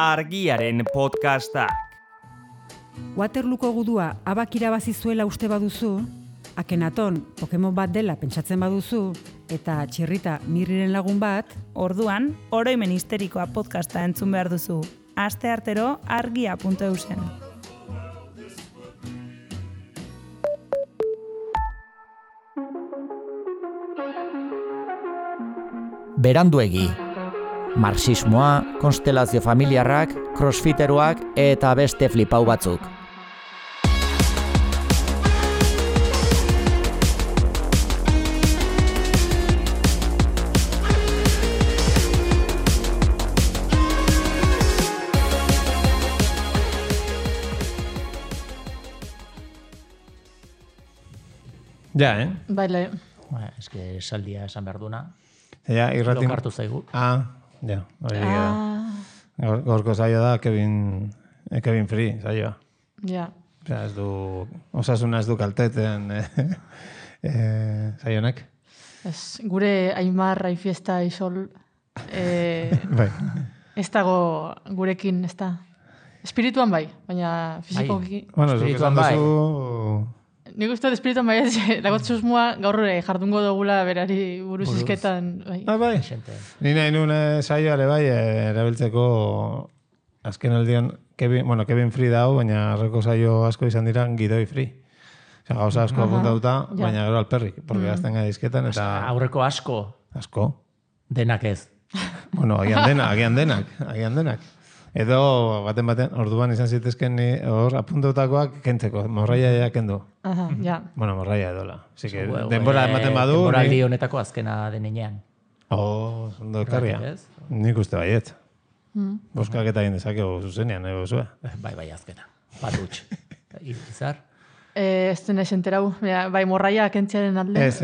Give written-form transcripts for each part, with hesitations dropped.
Argiaren podcastak. Waterlooko gudua abak irabazi zuela uste baduzu, Akenaton Pokemon bat dela pentsatzen baduzu, eta Txirrita Mirriren lagun bat, orduan, oroimen histerikoa podcasta entzun behar duzu. Asteartero argia.eusen. Beranduegi. Marxismoa, konstelazio familiarrak, crossfiteroak eta beste flipau batzuk. Ja, Baile. Eske esaldia esan behar duna. Ja, irratin... Lokartu zaigu. Ja, hori Gaurko saioa da Kevin Free saioa. Ja. Ez du, osasuna ez du kalteten saionek. Gure Aimar Aifiesta Isol Bai. ez dago gurekin, ez da. Espirituan bai, baina fizikoki... Bueno, espirituan bai. Nik uste espirituan bai ez, dagot susmoa gaur jardungo dugula berari buruz izketan. Bai. Bai. Ni nahi nuen saioare bai, erabiltzeko azken aldian Kevin Free dau, baina arreko saio asko izan dira Gidoi Free. Osa, gauza asko apuntauta, baina gero alperrik, porque azten gai izketan, eta... Aurreko asko. Asko. Denak ez. Bueno, agian denak. Edo, baten, orduan izan zitezken hor apuntutakoak kentzeko, morraia kendu. Ja. Bueno, morraia edola. Así que denbora ematen badu... Denboraldi honetako azkena denean. Ondo ekarria. Nik uste baiet. Boskak eta egin dezakegu zuzenean, zue. Bai, azkena. Patutx. Izar? Ez denez enterau, bai morraia kentziaren alde. Ez.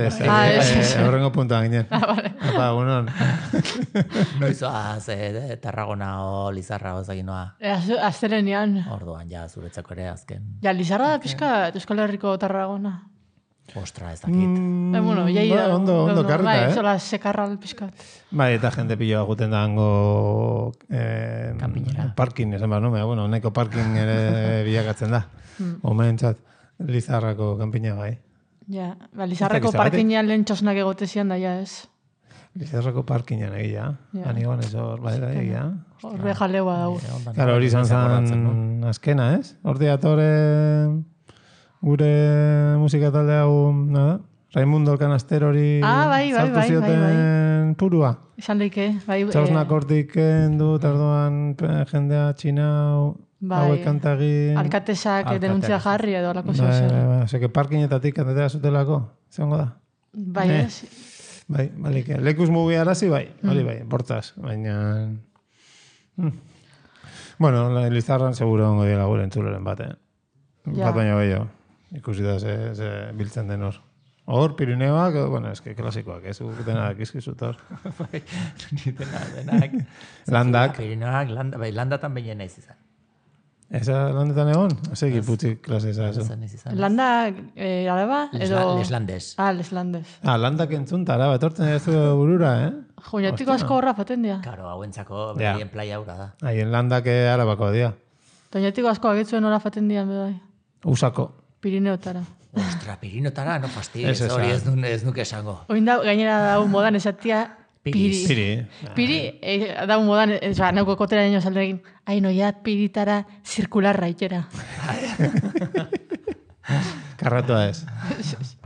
Horrengo puntuan ginen. Vale. Apa, unon. Noizoaz, Tarragona o Lizarra ozagin noa. Aztelenean. Orduan, ja, zuretzako ere azken. Ja, Lizarra da pixka, Euskal Herriko Tarragona. Ostra, ez dakit. Bueno, jai da. Ondo karrita, Bai, zola sekarral pixka. Bai, eta jende piloa guten da hango Kanpinera. Parkin, esan behar nume, bueno, neko parkin ere bilakatzen da. Omentzat, Lizarrako kanpina bai. Ja, Lizarrako parkinean lehen txosnak egotezian da, ja ez. Lizarrako parkinean egia. Anigoan ez hor, bai, egia. Horre jaleua dago. Claro, hori izan zen azkena, ez? Horti atore gure musika talde hau, nada? Raimundo Alcanaster hori sartu zioten purua. Izan daike, bai. Txausnak hortik kendu, tardoan jendea txinau, hauek kantagin... Alkatesak denuntzia jarri edo alako zeu. Zeke parkinetatik kantatea zutelako, zeongo da? Bai, ez? Bai, balik. Lekuz mugi arazi, bai, hori bai, bortaz, baina... Bueno, Lizarran seguro ongo dira gure entzuloren bat, Bat baina gehiago. Ikusi da ze biltzen den hor. Hor, Pirineoak, bueno, eske klasikoak, ez denak izkizut hor. Bai, denak. Landak. Pirineoak, landatan behinen naiz izan. Eza landetan egon? Eze giputzik klase eza. Landa, araba? Leslandes. Leslandes. Landak entzunta, araba, etortzen ez burura, Joinatiko asko horra faten dira. Karo, hauentzako behien playa aurra da. Haien landak arabako dia. Joinatiko asko agitzuen horra faten dira, bedai. Usako. Pirineotara. Ostra, Pirinotara, no fastidies, hori ez nuke esango. Oin da, gainera da modan esatia, Piri. Piri, da modan, nauko kotera niño salderekin, noia piritara zirkularra itera. Karratua ez.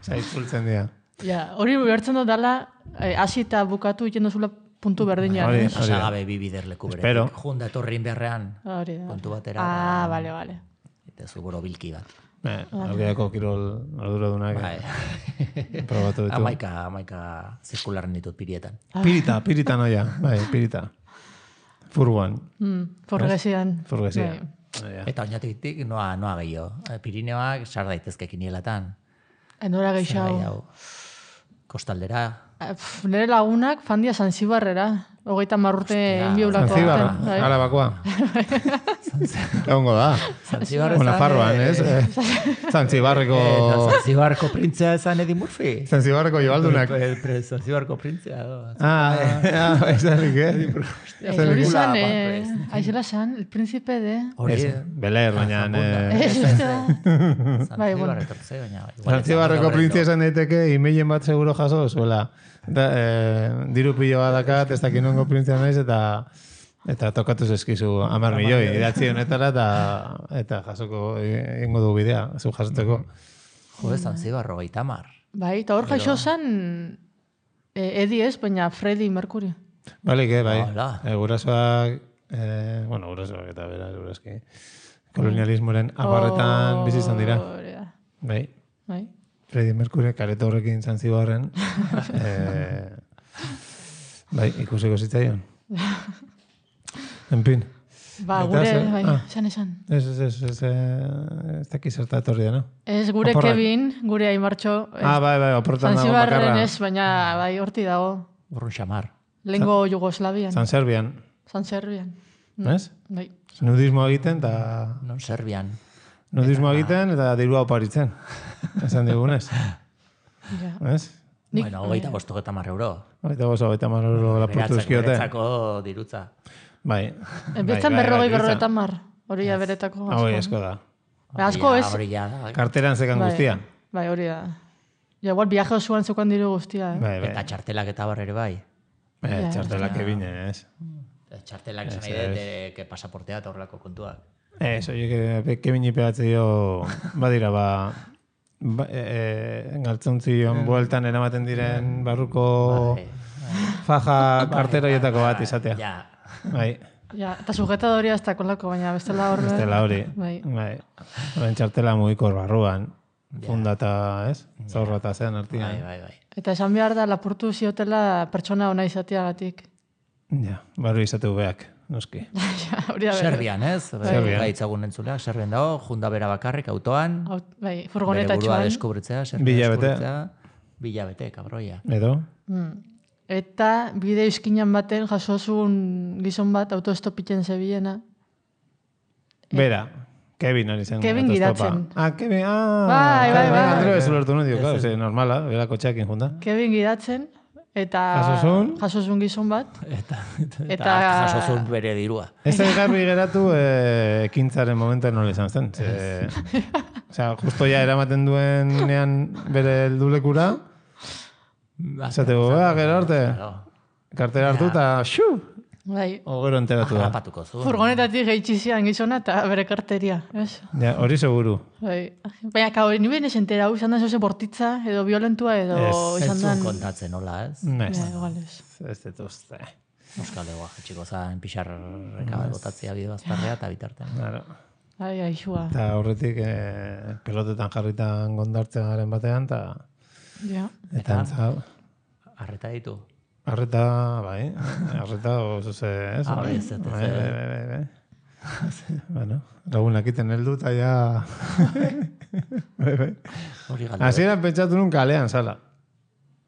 Zaizkultzen dira. Ja, hori bertzen dut dala, hasi eta bukatu iten duzula puntu berdinean. Pasagabe bibiderleku bere. Junda etorrin beharrean, puntu batera. Bale. Eta zugoro bilki bat. Algeako kirol arduradunak probatu ditu. Amaika zirkularren ditut pirietan. Pirita noia, bai, pirita. Furguan. Furgesian. Eta oinatik noa gehiago. Pirineoak sar daitezke kinielatan. Nora gehiago. Kostaldera. Nire lagunak fandia Zanzibarrera. 30 urte inbiulako. Zantzibar, Arabakoa. Egongo da. Zantzibar Nafarroan, ez? Zantzibarreko... Zantzibarko printzea esan Eddie Murphy. Zantzibarko joaldunak. Zantzibarko printzea. Ezanik, Hori zan, aizela zan, el príncipe de... Beler, baina... Zantzibar etortze, baina... Zantzibarreko printzea esan daiteke, imeilen bat seguro jaso, zuela. Diru pilo bat dakat, ez dakinongo printzea naiz, eta tokatu zezkizu 10 milioi, idatzi honetara, eta jasoko egingo du bidea, zu jasotzeko. Jo, Zantzibar 30. Bai, eta hor jaixo zan, Eddie ez, baina Freddie Mercury. Balik, bai. Gurasoak, gurasoak eta bera, guraski. Kolonialismoren abarretan bizi izan dira. Bai. Freddie Mercury, kareta horrekin Zantzibarren. Bai, ikusiko zitzaion. En fin. Gure, bai, esan. Ez dakiz zerta etorri da, no? Ez, gure Kevin, gure Aimartxo. Bai, oportan dago bakarra. Zantzibarren ez, baina, bai, horti dago. Urrun xamar. Lengo Jugoslavian. San Serbian. Ez? Bai. Nudismo egiten, eta... Non Serbian. Nudismo egiten, eta dirua oparitzen. Esan digunez. Ez? Bueno, 25 euro. 25 euro laportu duzkiote. Beretzako dirutza. Bai. Betzan 40 hori da beretako asko. Hori asko da. Asko ez. Karteran zekan guztia. Bai, hori da. Igual viaje osoan zeukan diru guztia. Eta txartelak eta barrere bai. Txartelak ebine, ez? Txartelak esan nahi dut que pasaportea eta horrelako kontuak. Oie, kebini pegatze dio, badira, galtzontzion bueltan eramaten diren barruko faja karteroietako bat izatea. Bai. Eta sujetadoria ez da kolako, baina bestela horre. Bestela hori. Bai. Horren txartela mugiko barruan. Funda eta, ez? Zaurra eta zean artian. Bai. Eta esan behar da, lapurtu ziotela pertsona ona izateagatik. Ja, barru izateu beak, noski. Serbian, ez? Gaitzagun entzuleak, Serbian dago, junda bera bakarrik, autoan. Bai, furgoneta txuan. Bere burua deskubritzea, Serbia deskubritzea. Bilabete, kabroia. Edo? Eta bideo izkinan baten jasozun gizon bat autostopitzen zebiena. Bera, Kevin ari zen. Kevin gidatzen. Kevin, Bai. Andreo ez ulertu nudio, normala, bera kotxeakin junda. Kevin gidatzen, eta jasozun gizon bat. Eta jasozun bere dirua. Ez da garbi geratu ekintzaren momentu nola izan zen. Osea, justo ja eramaten duenean bere heldulekura, esateko, gero arte, kartera hartu eta xu! Bai. Ogero enteratu da. Furgonetatik geitxizian gizona eta bere karteria. Ja, hori seguru. Bai. Baina, kao, nire esentera, izan da zoze bortitza, edo violentua, edo izan da... Ez zuen kontatzen, hola, ez? Ez detuzte. Euskal Egoa, jetxiko zan, pixarreka botatzea bide bazparrea eta bitartean. Claro. Ai, aixua. Eta horretik pelotetan jarritan gondartzen garen batean, eta entzau. Arreta ditu? Arreta, bai. Arreta oso ze, ez? Bai. Bueno, lagunak iten heldu eta ja... Bai. Hasieran pentsatu nun kalean, zala.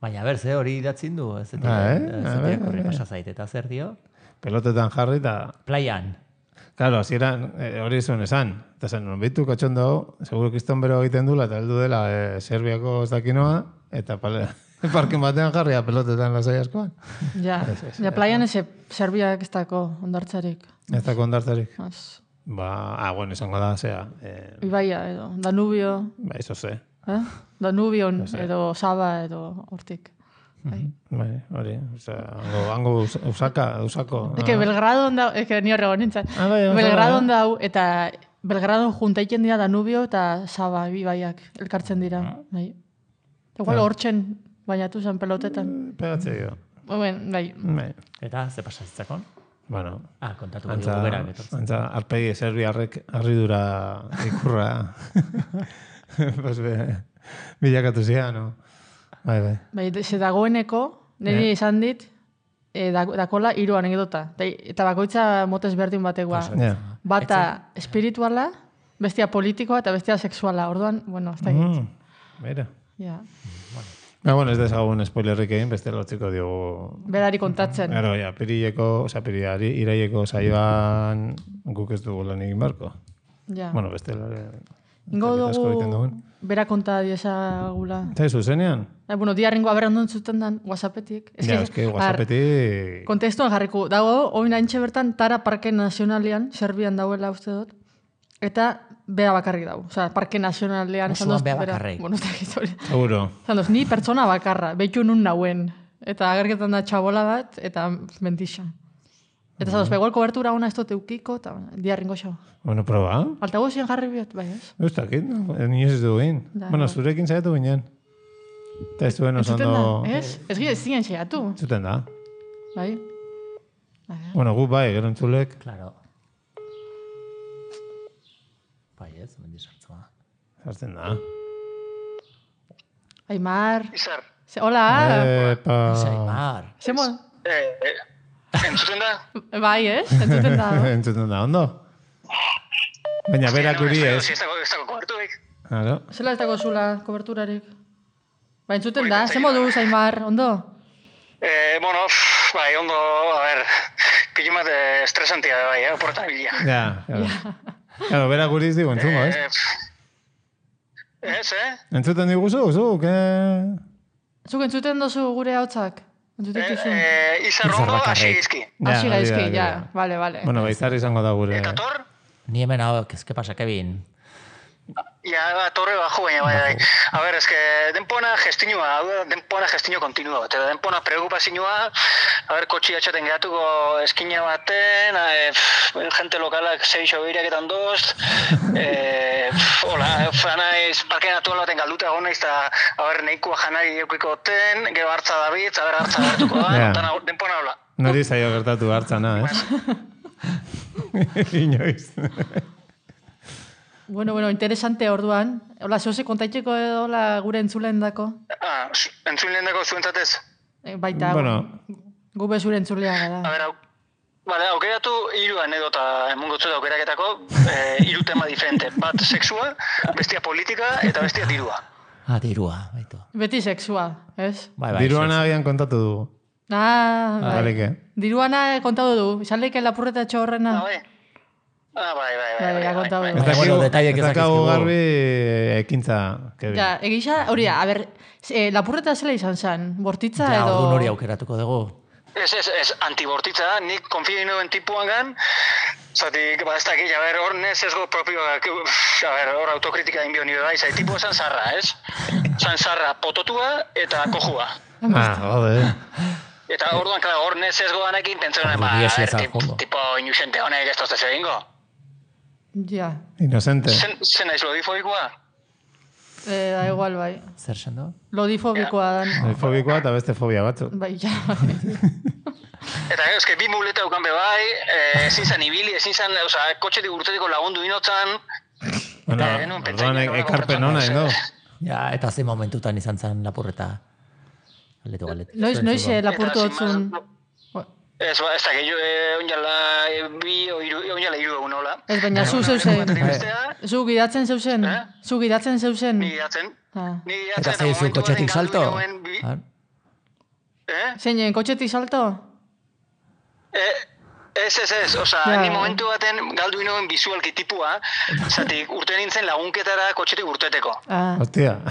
Baina, ze hori idatzin du, ez korri pasa zait, eta zer dio? Pelotetan jarri eta... Playan. Claro, hasieran hori zuen esan. Eta zen, non bitu katxon dago, seguro kriston bero egiten dula, eta heldu dela Serbiako ez dakinoa, eta parken batean jarria pelotetan lasai askoan. Ja, playan ez Serbiak ez dako ondartzarik. Ez dako ondartzarik. Bueno, izango da, zea. Ibaia, edo, Danubio. Ba, izo ze. Danubion, edo Saba, edo hortik. Bai, hori. Hango usako. Eke Belgrado onda, eke ni horrego nintzen. Belgrado onda hau, eta Belgrado juntaiken dira Danubio eta Saba, ibaiak, elkartzen dira. Igual hortzen bainatu zen pelotetan. Pegatze jo. Bai. Eta, ze pasazitzakon? Bueno. Kontatu gero berak. Antza, arpegi serbiarrek arridura ikurra. Bilakatu zian, no? Bai, ze dagoeneko, niri izan dit, dakola 3 anekdota. Eta bakoitza motez berdin batekoa. Bata espirituala, bestia politikoa eta bestia sexuala. Orduan, bueno, ez da egit. Bera. Bueno, ez dezagun spoilerrik egin, beste lotziko diogu. Berari kontatzen. Gero, ja, piriari, iraieko saioan guk ez dugu lan egin barko. Ja. Bueno, beste Ingo dugu bera konta diezagula. Eta zuzenean? Bueno, diarrengo aberrandun zuten dan WhatsAppetik. Eske WhatsAppetik... Kontestuan jarriko. Dago, oin haintxe bertan, Tara Parke Nazionalian, Serbian dauela uste dut. Eta bea bakarrik dago. Osea, Parke Nazionalean... Osoan bea bakarrik. Bueno, ez da gizoria. Seguro. Zandoz, ni pertsona bakarra, behitu nun nauen. Eta agerketan da txabola bat, eta mentixa. Eta zandoz, igual kobertura ona ez dut eukiko, eta diarringo xo. Bueno, proba. Altagozien jarri biot, bai ez? Ez dakit, ni ez du egin. Bueno, zurekin zaitu ginen. Eta ez duen oso ondo... Ez? Ez gire ziren xeatu. Zuten da. Bai? Bueno, gu bai, gero entzulek. Claro. Bai ez, mendi sartzua. Zartzen da. Aimar. Izar. Hola. Epa. Aimar. Zemo? Entzuten da? Bai, ez? Entzuten da. Entzuten da, ondo? Baina berak uri ez. Ez dago koberturik. Claro. Zela ez dago zula koberturarik. Ba, entzuten da. Zemo du, Aimar, ondo? Bueno, bai, ondo, a ver, pillo bat estresantia bai, oportan bilia. Ja, claro. Claro, berak uri ez digu entzungo, ez? Ez, Entzuten diguzu, zuk, Zuk entzuten dozu gure hautsak? Entzuten duzu? Izarrongo hasi izki. Hasi gaizki, ja. Vale. Bueno, baizar izango da gure. Eta tor? Ni hemen hau, ¿qué pasa, Kevin? Ja, torre bajo, baina bai. A ver, es que denpona gestinua kontinua. Eta denpona preocupazioa, a ver, kotxi atxaten gehatuko eskina baten, gente lokalak 6 obiriaketan doz, hola, fanaiz, parke natural baten galduta gona, eta, a ver, nahikoa janari eukiko ten, gero hartza dabitz, a ver, hartza gertuko da, denpona hola. Nori zaio gertatu hartzana, ez? Inoiz. Bueno, interesante orduan. Hola, zoze kontaitzeko edo gure entzulen dako? Entzulen dako zuentzatez? Baita, bueno. Gube zure entzulea gara. A ver, aukeratu 3 anedota emungotzu da aukeraketako, 3 tema diferente. Bat sexua, bestia politika eta bestia dirua. Dirua, baitu. Beti sexua, ez? Bai, Diruana agian kontatu dugu. Bai. Diruana kontatu du. Izan leike lapurreta txorrena. Bai. Bai. Ez dakago garbi ekintza. Ja, egisa, hori da, a ber, lapurreta zela izan zen, bortitza edo... Ja, orduan hori aukeratuko dugu. Ez, antibortitza, nik konfio inoen tipuan gan, zatik, ez dakit, a ber, hor nesezgo propioak, a ber, hor autokritika inbio nire bai, zai, tipua zan zarra, ez? Zan zarra pototua eta kojua. Jode. Eta orduan, hor nesezgo danekin, pentsen tipo inusente honek ez tozte egingo. Ja. Inocente. Zen naiz lodifobikoa? Da igual, bai. Zer sendo? Lodifobikoa dan. Lodifobikoa eta beste fobia batzu. Bai, ja. Eta eske bi muleta eukan be bai, ezin zan ibili, ezin zan, oza, kotxetik urtetiko lagundu inotzan. Bueno, orduan ekarpen hona, no? Ja, eta zein momentutan izan zen lapurreta. Galdetu. Noiz lapurtu hotzun. Ez da, oinala 3 egun hola. Ez, baina zu zeusen. Zu gidatzen zeusen. Zu gidatzen zeusen. Ni gidatzen. Eta zeizu kotxetik salto? Zeinen, kotxetik salto? Ez, oza, ni momentu baten galdu inoen bizualki tipua, zatik urte nintzen lagunketara kotxetik urteteko. Hostia,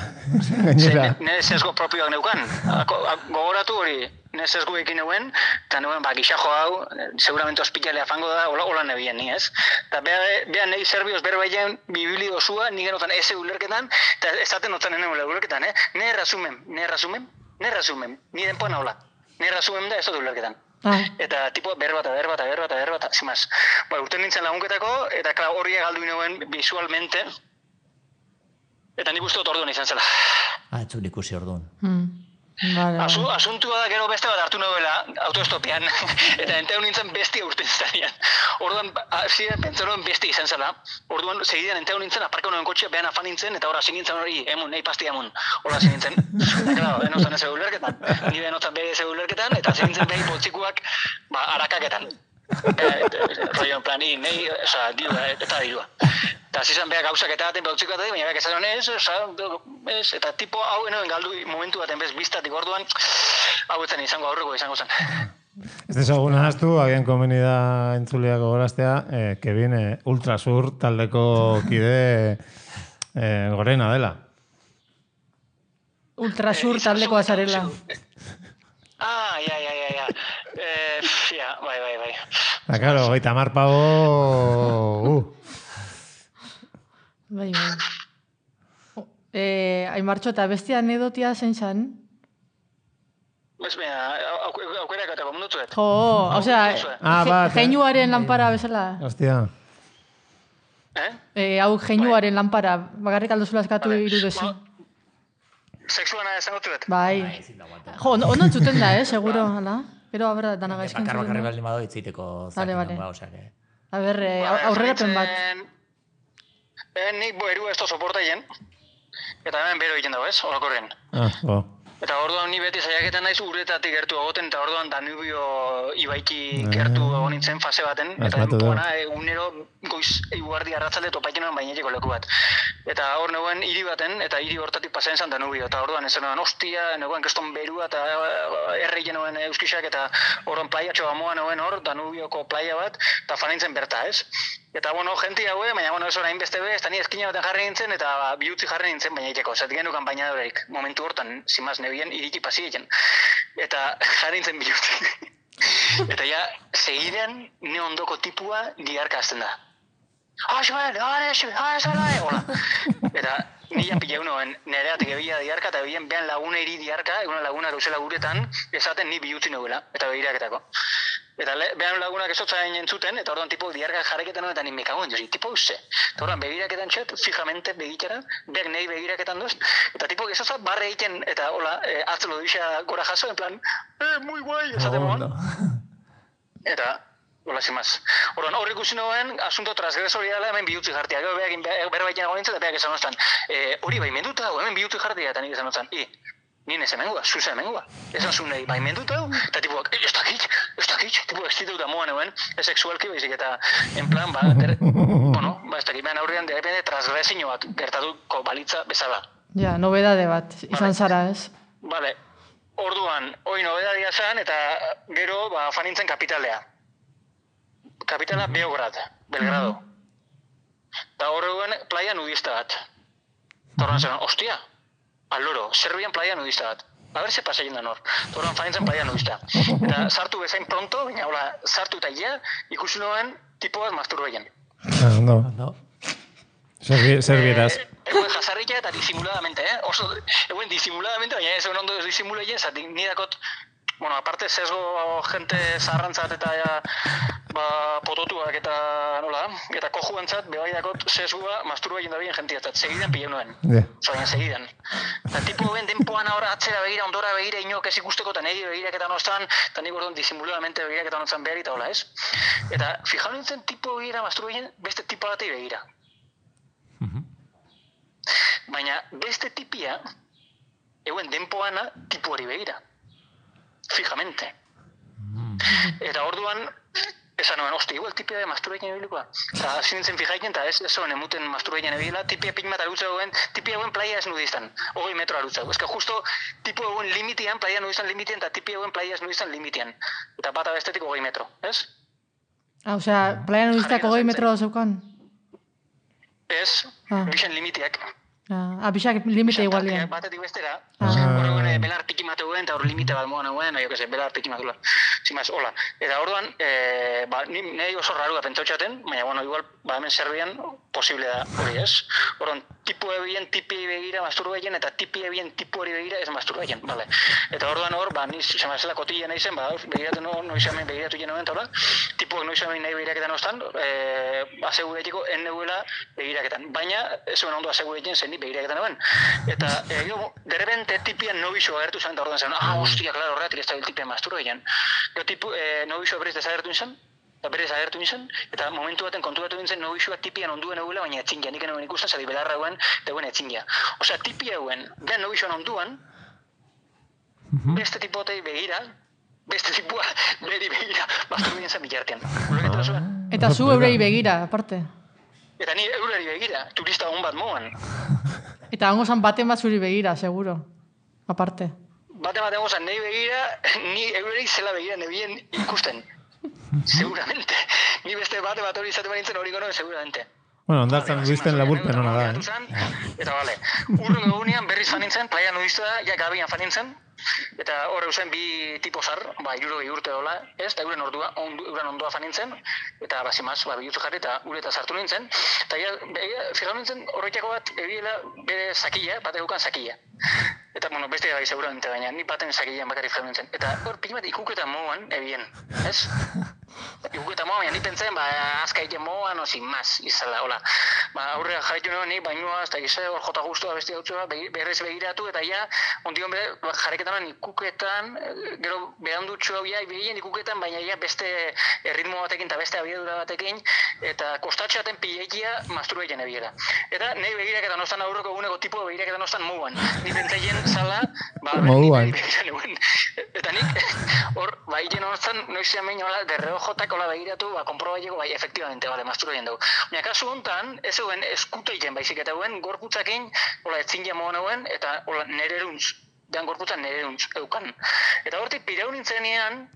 gainera. Nire sesgo propioak neukan. Gogoratu hori, nire sesgo ekin neuen, eta neuen, gixajo hau, seguramente ospitalea fango da, hola nebien ni, ez? Eta beha nahi zerbioz berbaien bibili dozua, ni genotan eze ulerketan, eta ezaten notan nene ulerketan, nire rasumen, ni denpoan hola. Nire rasumen da ez dut ulerketan. Eta tipo berbata, zimaz. Urte nintzen lagunketako, eta hori galdu inoen visualmente, eta nik uste dut orduan izan zela. Etzun ikusi orduan. Asuntua da gero beste bat hartu nuela autoestopian, eta enteun nintzen bestia urten zanian. Orduan, ziren pentsanoen bestia izan zela. Orduan, segidean enteun nintzen, aparka noen kotxea behan afan nintzen, eta horra zin nintzen hori, nahi pasti emun. Horra zin nintzen. Eta, klaro, enotan ez ulerketan. Ni enotan behi ez ulerketan, eta zin nintzen behi boltzikuak, arakaketan. Rollo en plan, nahi, dirua, eta dirua. Eta zizan behar gauzak eta baten bautziko eta baina behar esan ez, eta tipo hau enoen galdu momentu baten bez biztatik orduan, hau etzen izango aurreko izango zen. Ez dezagun ahaztu, agian komeni da entzuleak gogoraztea, Kevin Ultrasur taldeko kide gorena dela. Ultrasur taldekoa zarela. Ja. Bai. Da, claro, 30 pavo... Bai. Aimartxo, eta bestia anedotia zein zan? Ez beha, aukerak eta komundutuet. Geinuaren lanpara bezala. Hostia. Hau geinuaren lanpara, bakarrik aldozula eskatu irudezu. Sexuana esango zuet. Bai. Ondo entzuten da, seguro, hala? Pero, a ber, dana gaizkin entzuten da. Bakarri baldin bado itziteko zaten ba, osake. A ber, aurrerapen bat. Nik erua ez da soportaien, eta hemen bero egiten dago, ez? Olakorren. Eta orduan ni beti saiaketan naiz uretatik gertu egoten, eta orduan Danubio ibaiki gertu egon nintzen fase baten, eta denpoana egunero goiz eguardi arratzalde topaiten nuen bainetiko leku bat. Eta hor neuen hiri baten, eta hiri hortatik pasatzen zen Danubio, eta orduan ez nuen hostia, neuen keston berua, eta erreien nuen euskisak, eta orduan plaiatxo amoa neuen hor, Danubioko plaia bat, eta fanintzen berta, ez? Eta, jenti haue, baina, ez orain beste bez, eta ni eskina baten jarri nintzen, eta bihutzi jarri nintzen baineteko. Zatik genukan bainadoreik, momentu hortan, zimaz nebien, iriki pasietzen. Eta jarri nintzen bihutzi. Eta ja, segidean, ne ondoko tipua diarka azten da. Hola. Eta nian pila unoen nereatik ebila diarka, eta ebien behan laguna iri diarka, eguna laguna gauzela guretan, esaten ni bihutzi nuela, eta begiraketako. Eta behan lagunak esotzain entzuten, eta orduan tipo diarka jarreketan eta ni mekagoen dozi, tipo uste. Eta orduan begiraketan txet, fijamente begitara, beak nahi begiraketan doz, eta tipo esotza barre egiten, eta hola, atzelo duisa gora jaso, en plan, muy guai, esaten moan. Eta, hola, zimaz. Orduan, horrik ikusi noen, asunto transgresoria dela hemen bihutzi jartia. Gero behakin berbaiken agonintzen, eta beak esan oztan, hori bai menduta, hemen bihutzi jartia, eta nik esan oztan, nien ez emengua, zuze emengua. Esan zuen nahi, bai menduta, eta tipuak, ez dakit, tipuak ez ditut amoan euen, ez sexualki baizik, eta en plan, ez dakit, behan aurrean, derepende, transgresio bat gertatuko balitza bezala. Ja, nobedade bat, izan zara, ez? Vale, orduan, hoi nobedadia zen, eta gero, fanintzen kapitalea. Kapitala Beograd, Belgrado. Eta horreuen playa nudista bat. Eta horren zen, hostia, aloro, Serbian playa nudista bat. A ber, ze pasaien da nor. Horren fanintzen playa nudista. Eta sartu bezain pronto, baina hola, sartu eta ja, ikusi noen tipo bat masturbeien. No. Serbieraz. Eguen jazarrika eta disimuladamente, Oso, eguen disimuladamente, baina ez ondo disimuleien, zatik nidakot, aparte sesgo gente zaharrantzat eta pototuak eta eta kojuantzat, bebaiakot sesgoa masturbaien da bien jentiatzat, segidan pila nuen. Zain, segidan. Eta tipo ben denpoan ahora atzera begira, ondora begira, inok ez ikusteko, eta nahi begiraketan oztan, eta nik orduan disimuladamente begiraketan oztan behar eta hola, ez? Eta fijau nintzen tipo begira masturbaien beste tipo batei begira. Baina beste tipia, eguen denpoana tipo hori begira. Fijamente. Eta orduan, esan nuen, igual tipia de masturbaien ebilikoa. Eta hasi nintzen fijaiken, eta ez zoen emuten masturbaien ebila, tipia pikmat arutza duen, tipia eguen playa ez nudistan, 20 metro arutza. Ez que justo tipo eguen limitian, playa nudistan limitian, eta tipia eguen playa ez nudistan limitian. Eta bat abestetik 20 metro, ez? Osea, playa nudistak 20 metro zeukan? Ez, bixen limitiak. Bixak limite igualian. Batetik bestera, horregun belar piki mateuen, eta hor limite bat moan hauen, belar piki matula. Zimaz, hola. Eta orduan, nahi oso rarua pentsautxaten, baina, igual, hemen Serbian, posible da hori ez. Orduan, tipu ebien, tipi begira masturbaien, eta tipi ebien, tipu hori begira ez masturbaien, bale. Eta orduan hor, ni zemazela kotilla nahi zen, begiratu noizamen begiratu jenoen, eta hola, tipuak noizamen nahi begiraketan oztan, aseguretiko enneuela begiraketan. Baina, ez zuen ondo asegureten zen begiraketan hauen. Eta, derrepente tipian nobixo agertu zen, eta orduan zen, hostia, klaro, horretik ez da tipian masturbaien. Gero nobixo berriz desagertu nintzen, eta momentu baten konturatu nintzen nobixoa tipian onduen egula, baina etzingia, nik enoen ikusten, zari belarra eguen, eta eguen etzingia. Osea, tipia eguen, behan nobixoan onduan, beste tipotei begira, beste tipua beri begira, masturbaien zen bilartean. Eta zu eurei begira, aparte? Eta ni eurari begira, turista hon bat moan. Eta hango zan baten bat zuri begira, seguro. Aparte. Baten bat egozan nahi begira, ni eurari zela begira nebien ikusten. Seguramente. Ni beste bate bat hori izate banintzen hori gono, seguramente. Bueno, ondartzen duizten laburpen hona da, Eta bale, urrun egunean berriz fanintzen, playa nudista, ja gabian fanintzen, eta hor eusen bi tipo zar, 60 urte dola, ez, eta euren ondoa fanintzen, eta bazimaz, bihutzu jarri eta ureta sartu nintzen, eta fijau nintzen horretako bat ebiela bere sakila, bat eukan sakila. Eta, bueno, beste gai seguramente baina, ni baten sakilean bakarrik fijau nintzen. Eta hor pikimat ikuketa moan ebien, ez? Ikuketa moan, baina ni pentsen, azkaite moan, o sin más, izala, hola. Aurrera jarritu nuen, ni bainoa, eta gizte hor jota guztua, beste hautzua, berrez begiratu, eta ja, ondion jarriketan ikuketan, gero behaldutxo hau ja, behien ikuketan, baina ja beste ritmo batekin eta beste abiadura batekin, eta kostatxeaten pilekia masturbaiten ebiela. Eta nahi begiraketan nostan aurreko eguneko tipo begiraketan nostan moan. Ni pentsaien zala, moduan. Eta nik, hor, baien nostan, noizian behin hola, derreojotak hola begiratu, konprobaileko, efectivamente, masturbaiten dugu. Baina kasu hontan, ez eguen eskuteiken baizik eta eguen gorputzakin, hola, etzin moan eguen, eta hola, nereruntz, dean gorputzan nereruntz eukan. Eta hortik pirau nintzenean,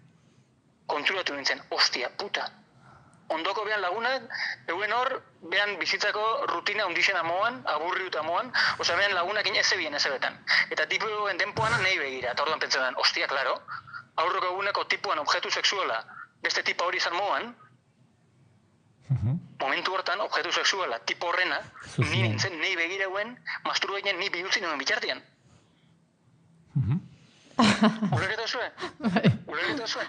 konturatu nintzen, ostia, puta. Ondoko behan lagunak, euen hor, behan bizitzako rutina ondixena moan, aburriuta moan, osea behan lagunakin ez ebien ez ebetan. Eta tipu eguen denpoan nahi begira, eta orduan pentsetan, ostia, klaro, aurroko eguneko tipuan objektu sexuala, beste tipa hori izan moan, momentu hortan, objektu sexuala, tipo horrena, ni nintzen, nahi begira eguen, masturbainen ni bihurtzi nuen bitartian. Ulerketa zuen? Ulerketa zuen?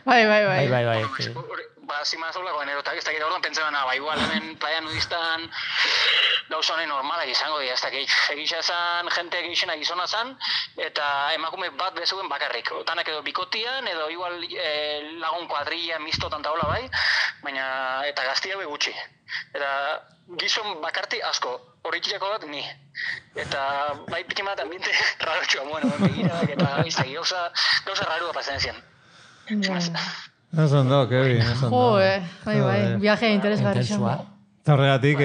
Bai. Zimaz olako generotak, ez dakit orduan pentsetan, igual hemen playa nudistan gauza honen normalak izango dira, ez dakit egisa zan, jente egizena gizona zan, eta emakume bat bezuen bakarrik. Otanak edo bikotian, edo igual lagun kuadrilla, mistotan eta hola bai, baina eta gaztia be gutxi. Eta gizon bakarti asko, horretilako bat ni. Eta bai pikimat ambiente rarotxua moen, begira, eta izaki gauza rarua pasen zian. Ez ondo, Kevin, ez ondo. Bai, viaje interesgarri xo. Eta horregatik,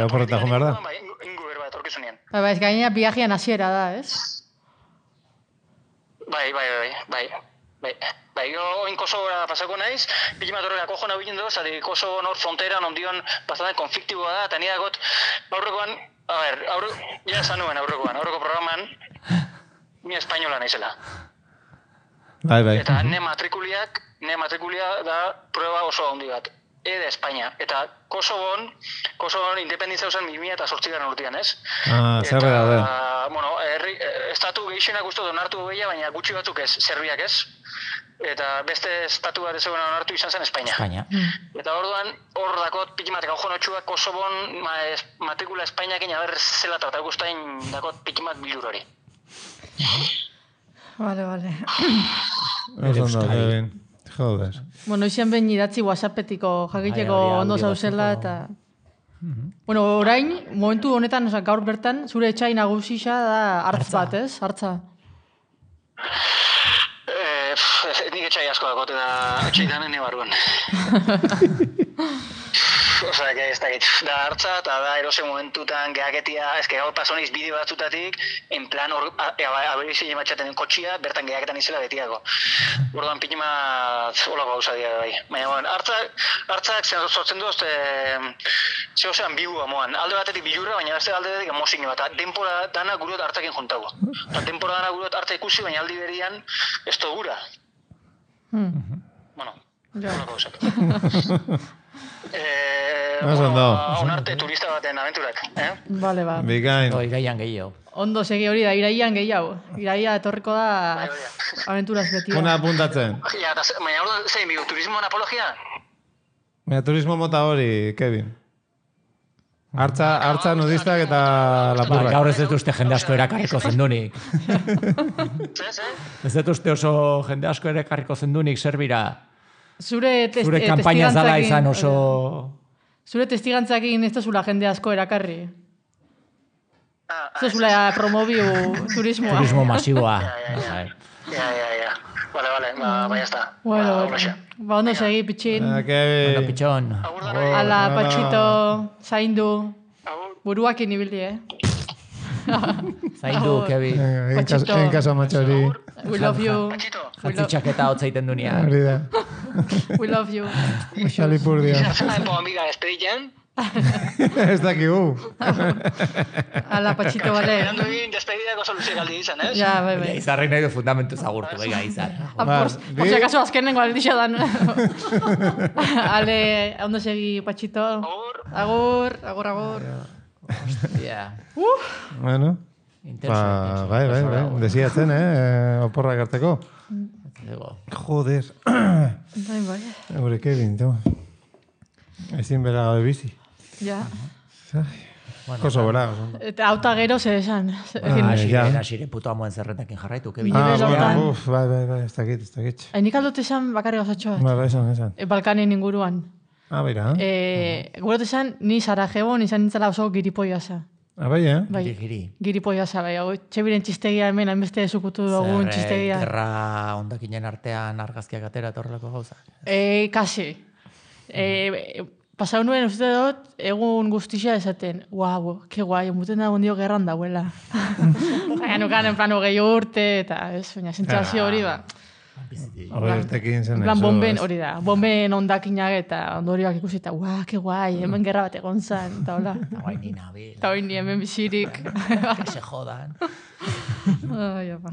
oporreta joan behar da? Ingo berba, etorkizunean. Bai, ez gaina viajean hasiera da, ez? Bai, jo oin Kosovora pasako naiz, pikimat horrela kojo nabilen doz, zati Kosovo nor fronteran ondion pasatzen konfliktiboa da, eta nire dagot, aurrekoan, ja esan nuen aurreko programan, ni espainola naizela. Bai. Eta ne matrikulia da prueba oso handi bat. De Espainia. Eta Kosovon independentza usan 2008 urtean, ez? Zerre daude. Bueno, estatu gehixenak uste donartu behia, baina gutxi batzuk ez, Serbiak ez. Eta beste estatu bat ez eguna onartu izan zen Espainia. Eta orduan, hor dakot pikimat gaujon otxuak Kosovon matrikula Espainiakin haber zela tratatu guztain dakot pikimat bilur hori. Vale. Ez ondo, Kevin. Joder. Bueno, izan behin idatzi WhatsAppetiko jakiteko ondo zauzela eta... Bueno, orain, momentu honetan, gaur bertan, zure etxai nagusisa da hartz bat, ez? Hartza. Nik etxai asko dakot eta etxai danen ebarruan. Osea, ez dakit, da hartza eta da erose momentutan gehaketia, ez que gaur pasoniz bideo batzutatik, en plan, aberizile matxaten kotxia, bertan gehaketan izela betiako. Orduan pikima holako gauza dira bai. Baina, bueno, hartzak sortzen duz, zehozean bigua moan. Alde batetik bilurra, baina beste alde batetik emozio bat. Denpora dana gurot hartzakin juntago. Denpora dana gurot hartza ikusi, baina aldi berian ez to gura. Bueno, holako gauzak. Onarte turista baten aventurak, Vale, ba. Bikain. Iraian gehiago. Ondo segi hori da, iraian gehiago. Iraia etorriko da aventuras beti. Una apuntatzen. Baina hor da, zein bigu, turismoan apologia? Baina turismo mota hori, Kevin. Hartza nudistak eta lapurrak. Gaur ez dut uste jende asko erakarriko zendunik. Ez dut uste oso jende asko erakarriko zendunik zerbira. Zure kampaina zala izan oso... Zure testigantzakin ez da zula jende asko erakarri. Ez da zula promobiu turismoa. Turismo masiboa. Ja. Vale, ba, ya está. Bueno, ba, ondo segi, pitxin. Ondo, pitxon. Ala, patxito, zaindu. buruak inibili, Zaindu, Kevin. En caso matxori. We love you. Jantzitxaketa hotza iten dunia. Hori da. We love you. Xalipurdia. Zena epo amiga despeditzen. Ez dakigu. Ala, Patxito, bale. Erandu egin despedidako soluzio galdi izan, ez? Ja, bai. Izarri nahi du fundamentu zagurtu, bega, izar. Por si acaso azkenengo aldixa dan. Ale, ondo segi, Patxito. Agur. Hostia. Bueno. Intenso. Bai. Desiatzen, oporrak harteko. Joder. Bai. Gure Kevin, tu. Ezin bera gabe bizi. Ja. Koso bera. Eta auta gero zer esan. Asire puto amuen zerretakin jarraitu, Kevin. Bai, ez dakit. Nik aldot esan bakarri gauzatxoa. Bai, esan. Balkanen inguruan. Bera. Gurot esan, ni Sarajebon izan nintzela oso giripoiaza. Bai, Bai, giripoiaza, bai. Txebiren txistegia hemen, hainbeste zukutu dugun txistegia. Gerra ondakinen artean argazkiak atera eta horrelako gauza. Kasi. Pasau nuen uste dut, egun guztia esaten, guau, ke guai, muten da gondio gerran dauela. Baina nukan, en plan, 20 urte, eta ez, baina sentzazio hori ba. En plan, bomben hori da, bomben ondakinak eta ondorioak ikusita, guau, ke guai, hemen gerra bat egon zan, eta hola. Guai ni nabil. Eta hori ni hemen bizirik. Que se jodan. Ai, apa.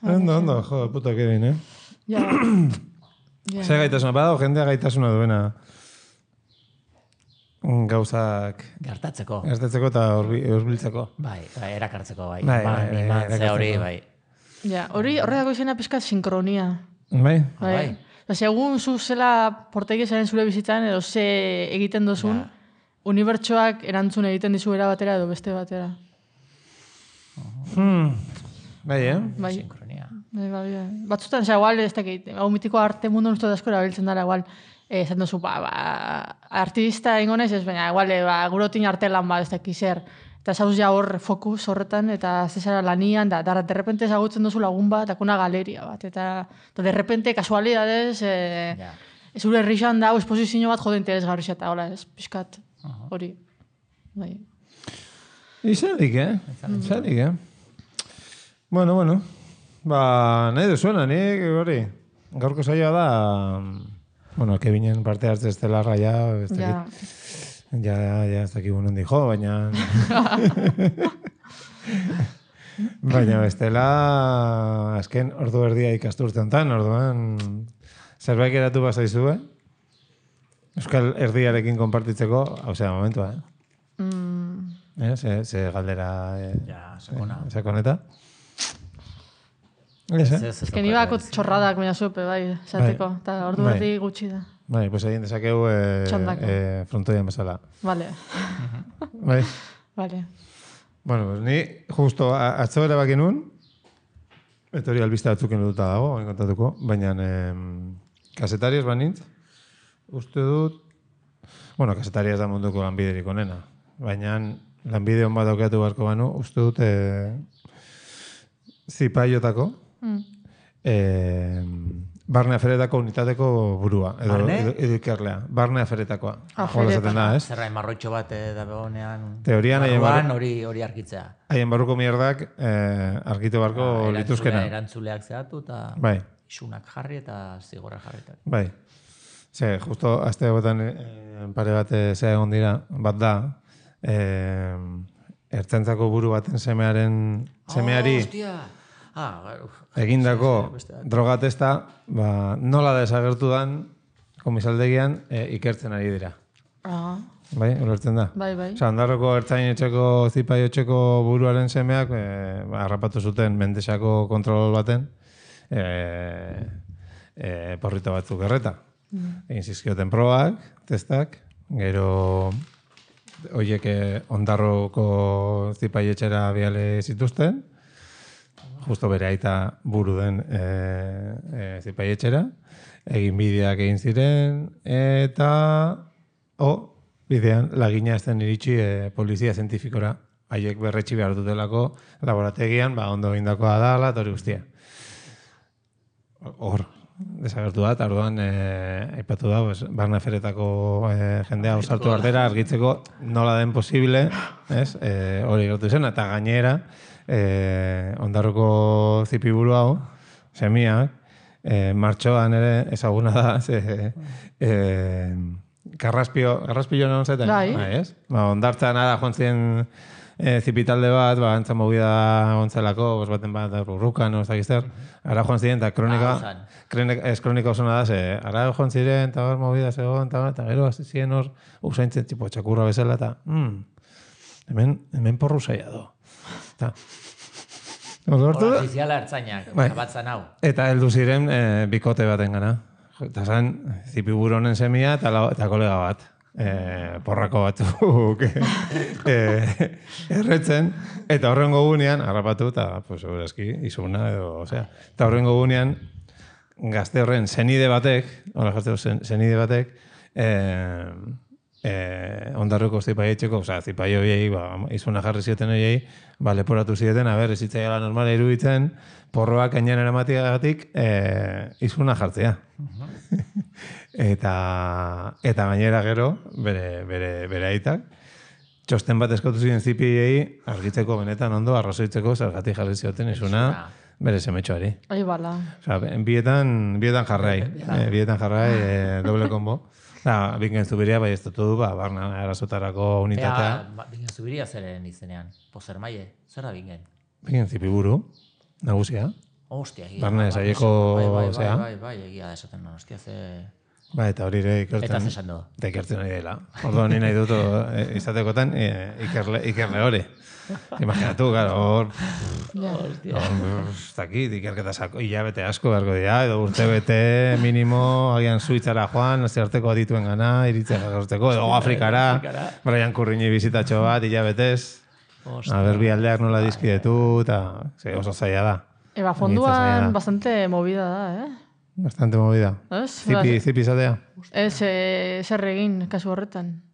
Ondo, jo, puta Kevin, Ja. Zer gaitasuna, bada, jendea gaitasuna duena gauzak Gertatzeko eta urbiltzeko. Bai, erakartzeko, bai. Bai, hori, bai. Ja, horretako izena pizkat sinkronia. Bai? Bai. Segun zu zela portegiesaren zure bizitzan edo ze egiten dozun, unibertsoak erantzun egiten dizu era batera edo beste batera. Bai, Bai. Sinkronia. Bai. Batzutan, igual, ez dakit, hau mitiko arte mundu nuztu asko erabiltzen dara, igual, esan duzu, artista ingonez ez, baina, igual, gurotin artelan bat, ez dakit zer. Eta zauz ja hor fokus horretan, eta zezara lanian, da derrepente ezagutzen duzu lagun bat, akuna galeria bat, eta derrepente, kasualidades, zure errixan da, esposizio bat jode interesgarri eta hola, ez, pixkat, hori. Bai. Izanik, Bueno. Nahi duzuena, nik hori. Gaurko saioa da, Kevinen parte hartze estelarra ez dakit. Ja, ez dakit nondi jo, baina... Baina bestela, azken ordu erdia ikasturte honetan, orduan zerbait geratu bazaizue. Euskal erdiarekin konpartitzeko, momentua, Ze galdera... Sakoneta. Ez que nibako txorradak baina zupe, bai, esateko. Eta ordu erdi gutxi da. Bai, pues egin dezakeu frontoian bezala. Vale. Bai. Vale. Bueno, pues ni justo atzo erabaki nun, eta hori albiste batzuken duta dago, kontatuko, baina kasetari ez banintz, uste dut, kasetari ez da munduko lanbiderik onena, baina lanbide hon bat aukeatu barko banu, uste dut zipaiotako, barne aferetako unitateko burua, edo ikerlea. Barne aferetakoa. Zerra, marroitxo bat da begonean. Teorian hori argitzea. Haien barruko mierdak argitu barko lituzkena. Erantzuleak zehatu eta isunak jarri eta zigorra jarri. Bai. Justo azte gotan pare bat zea egon dira, bat da, ertzaintzako buru baten semeari egindako drogatesta, nola desagertu dan komisaldegian ikertzen ari dira. Bai, ulertzen da? Bai. Ondarroko ertzain etxeko zipaiotxeko buruaren semeak harrapatu zuten Mendesako kontrol baten porrito batzuk erreta. Egin zizkioten probak, testak, gero horiek Ondarroko zipaietxera biale zituzten, justo bere aita buru den zipaietxera, egin bideak egin ziren, eta bidean lagina ez den iritsi polizia zientifikora, haiek berretxi behar dutelako laborategian, ondo egindakoa dala, eta hori guztia. Hor, desagertu da, eta orduan aipatu da, Barna Feretako jendea osartu ardera argitzeko nola den posible, hori gertu zen, eta gainera, Ondarroko zipiburu hau, semiak, martxoan ere ezaguna da, Garraspio non zaten? Bai. Ondartzan ara joan ziren zipitalde bat, antzan movida ontzelako, baten bat, urrukan, ez dakizter, ara joan ziren, eta kronika osona da, ara joan ziren, eta hor movida zegoen, eta gero hasi ziren hor, usaintzen, tipo, txakurra bezala, eta hemen porru zaila do. Ofiziala ertzainak, batzan hau. Eta heldu ziren bikote baten gana. Eta zan, zipiburu honen semia eta kolega bat. Porrako batzuk erretzen. Eta horrengo gunean, harrapatu, eta, pues, segurazki, izuna, edo, osea. Eta horrengo gunean, gazte horren zenide batek, Ondarruko zipaietxeko, zipaio biei, izuna jarri zioten horiei, leporatu zieten, ez zitzaiala normala iruditzen, porroak ainean eramatiagatik izuna jartzea. Eta gainera gero, bere aitak, txosten bat eskatu ziren zipiei, argitzeko benetan ondo, arrazoitzeko, zergatik jarri zioten izuna, bere semetxoari. Bala. Bietan jarrai, doble kombo. Bingen Zubiria bai ez du, Barna erasotarako unitatea. Bingen Zubiria zeren izenean? Pozer maie, zer da Bingen? Bingen Zipiburu, nagusia. Hostia, egia. Barna esaieko, zea. Bai, egia da esaten, hostia, ze... Eta hori ere ikertzen. Eta zesan du. Eta ikertzen hori dela. Orduan ni nahi dut izatekotan ikerle hori. Imaginatu, hor... Zakit, ikerketa hilabete asko beharko dira, edo urtebete minimo, agian Suitzara joan, nazioarteko adituen gana, iritzea jakartzeko, edo Afrikara, Brian Kurrini bizitatxo bat, hilabetez, berbi aldeak nola dizkidetu, eta oso zaila da. Fonduan bastante movida da, Bastante movida. Zipi izatea? Zer egin, kasu horretan.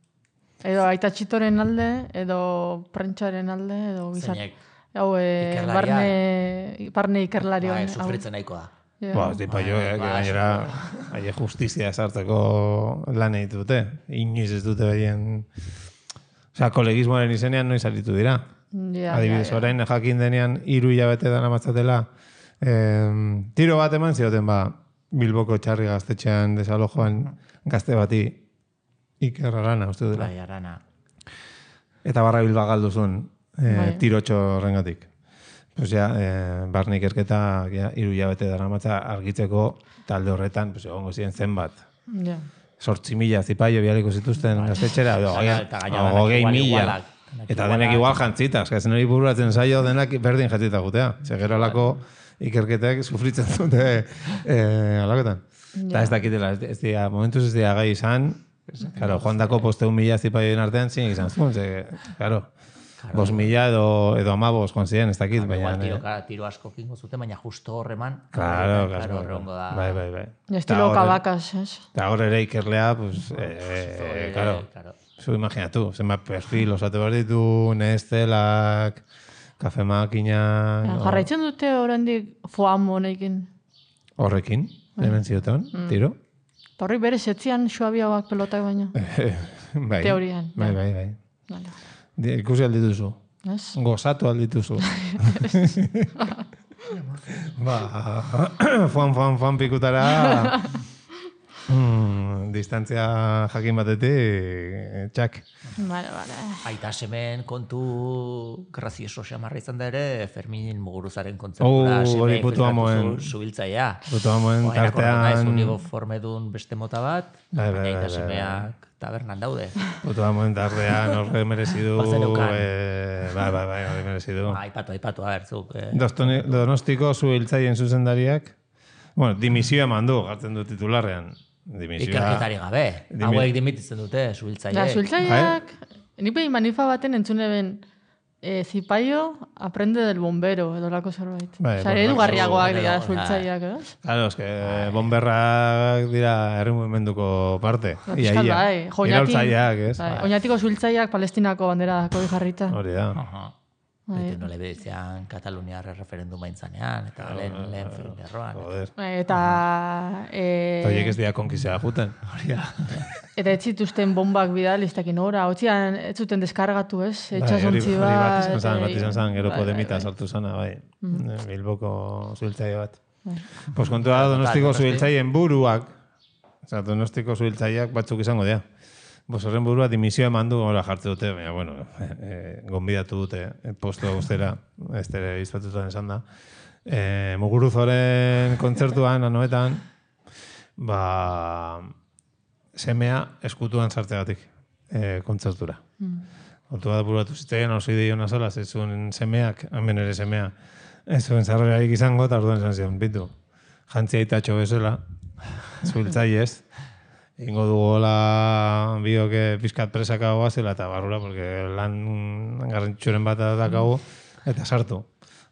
Edo aita txitoren alde, edo prentxaren alde, edo bizar. Zeinek? Barne ikerlarioan. Sufritzen nahikoa. Zipaio, gainera, haie justizia esartzeko lan egiten dute. Inoiz ez dute behien... kolegismoaren izenean noiz aritu dira. Adibidez, orain jakin denean 3 hilabete dana matzatela, tiro bat eman zioten, Bilboko txarri gaztetxean desalojoan gazte bati Iker Arana, uste dela. Bai, Arana. Eta Barra Bilba galduzun tirotxo horrengatik. Barne ikerketa 3 hilabete dara matza argitzeko talde horretan, egongo ziren zenbat. 8.000 zipaio bialiko zituzten gaztetxera, 20.000. Eta denek igual jantzita, eskazen hori bururatzen zaio denak berdin jantzita gutea. Segero alako ikerketek sufritzen dute alakotan. Eta ez dakitela, momentuz ez dira gai izan, joan dako poste 1.000 zipaioen artean zinek izan zuen, claro, 5.000 edo 15 joan ziren, ez dakit. Tiro asko kingo zuten, baina justo horreman. Claro. Bai. Estilo kabakaz, ez? Eta hor ere ikerlea, claro, zu imaginatu, zenbat perfil osate behar ditu, nestelak, kafe makina... Jarraitzen dute horrendik foam honekin? Horrekin, hemen zioten, tiro. Horri bere setzian suabiagoak pelotak baina. Teorian. Bai. Ikusi aldituzu. Gozatu aldituzu. Fuan pikutara... distantzia jakin batetik, txak. Vale. Aita semen kontu grazioso xamarra izan da ere, Ferminin Muguruzaren kontzertura semen infiltratu zubiltzaia. Putu amoen tartean... Uniformedun beste mota bat, baina aita semeak tabernan daude. Putu amoen tartean horre merezidu... Bai, merezidu. Aipatu, zuk. Donostiko zubiltzaien zuzendariak, dimisio eman du, gartzen du titularrean. Ikerketari gabe. Hauek dimititzen dute, zubiltzaiek. Zubiltzaiek, nik behin manifa baten entzune ben, zipaio aprende del bombero, edo lako zerbait. Edugarriagoak dira zubiltzaiek, ez? Claro, es que bomberrak dira herri mugimenduko parte. Fiskal bai. Iraultzaileak, ez? Oñatiko zubiltzaiek Palestinako bandera dako jarrita. Hori da. Eta nola bezean Kataluniar referenduma intzanean, eta lehen erroan. Eta... Oiek ez dira konkizea juten. Eta ez zituzten bombak bidal, ez dakin ora, hotzian ez zuten deskargatu, ez? Etxasontzi bat izan zan, gero Podemita sartu zana, bai. Bilboko zuhiltzaile bat. Pues kontua Donostiko zuhiltzaileen buruak, Donostiko zuhiltzaileak batzuk izango dira. Horren burua dimisioa emandu gora jartze dute, baina, bueno, gonbidatu dute posto guztera, ez tere izbatutan esan da. Muguruzoren kontzertuan, anoetan, semea eskutuan sartzegatik kontzertura. Kontua da buratu zitzaien, oso idei hona zola, ez zuen semeak, hemen ere semea, ez zuen zarrerarik izango, eta orduan esan zion, bitu, jantzia itatxo bezala, zuhiltzaile ez, ingo dugola bioke pizkat presaka goazela eta barrura, porque lan garrantzitsuren bat dakago, eta sartu.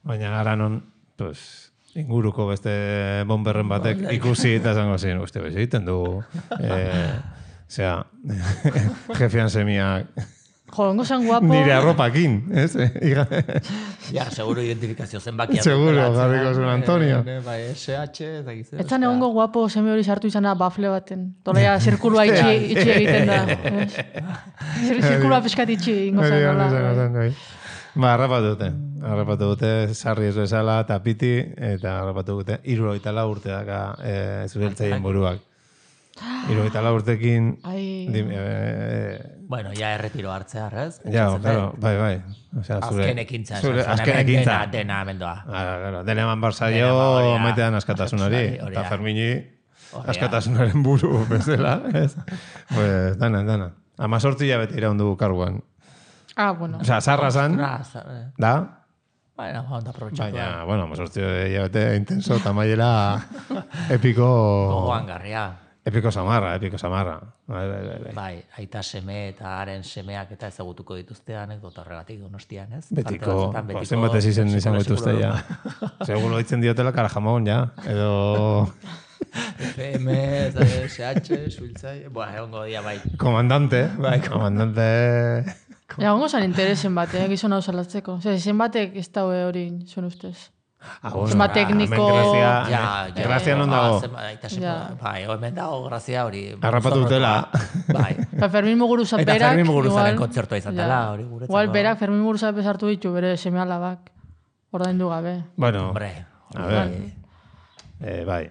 Baina gara non, pues, inguruko beste bomberren batek ikusi eta zango zen, uste, bez egiten dugu, jefian semiak, ongo zen guapo. Nire arropakin, ez? Ja, seguro identifikazio zenbakiak. Seguro, jarriko zuen Antonio. SH, eta gizera. Ez zan egongo guapo seme hori sartu izana bafle baten. Tolea zirkulua itxi egiten da. Zirkulua peskat itxi ingo zen. Harrapatu dute, sarri ez bezala, eta piti, eta harrapatu dute, 74 urte daka zuhiltzaien buruak. 74 urtekin... Bueno, ja erretiro hartzear, ez? Ja, claro, bai. Azken ekintza, dena amendoa. Dena eman barzaio, maitean askatasunari, eta Fermini askatasunaren buru bezala, ez? Pues, dana. 18 hilabete iraundu karguan. Bueno. Osa, zarra zan, da? Baina, onda aprobetxatu. Baina, bueno, 18 hilabete intenso, tamaiela epiko... Gogoan garria. Epiko samarra. Bai, aita seme eta haren semeak eta ezagutuko dituzte anekdota horregatik Donostian, ez? Betiko, zenbat ez izen izango dituzte, ja. Seguro ditzen diotela karajamon, ja. Edo... FM, SH, suiltzai... Egongo dia, bai. Komandante. Ja, ongo zan interesen bat, gizon hau salatzeko. Zen batek ez daue hori zuen ustez. Zema tekniko... Grazia non dago. Bai, hemen dago grazia hori. Harrapatu dutela. Bai. Fermin Muguruza berak... Eta Fermin Muguruzaren kontzertua izan dela. Igual berak Fermin Muguruza bezartu ditu bere seme alabak. Ordaindu gabe. Bueno, a ver. Bai.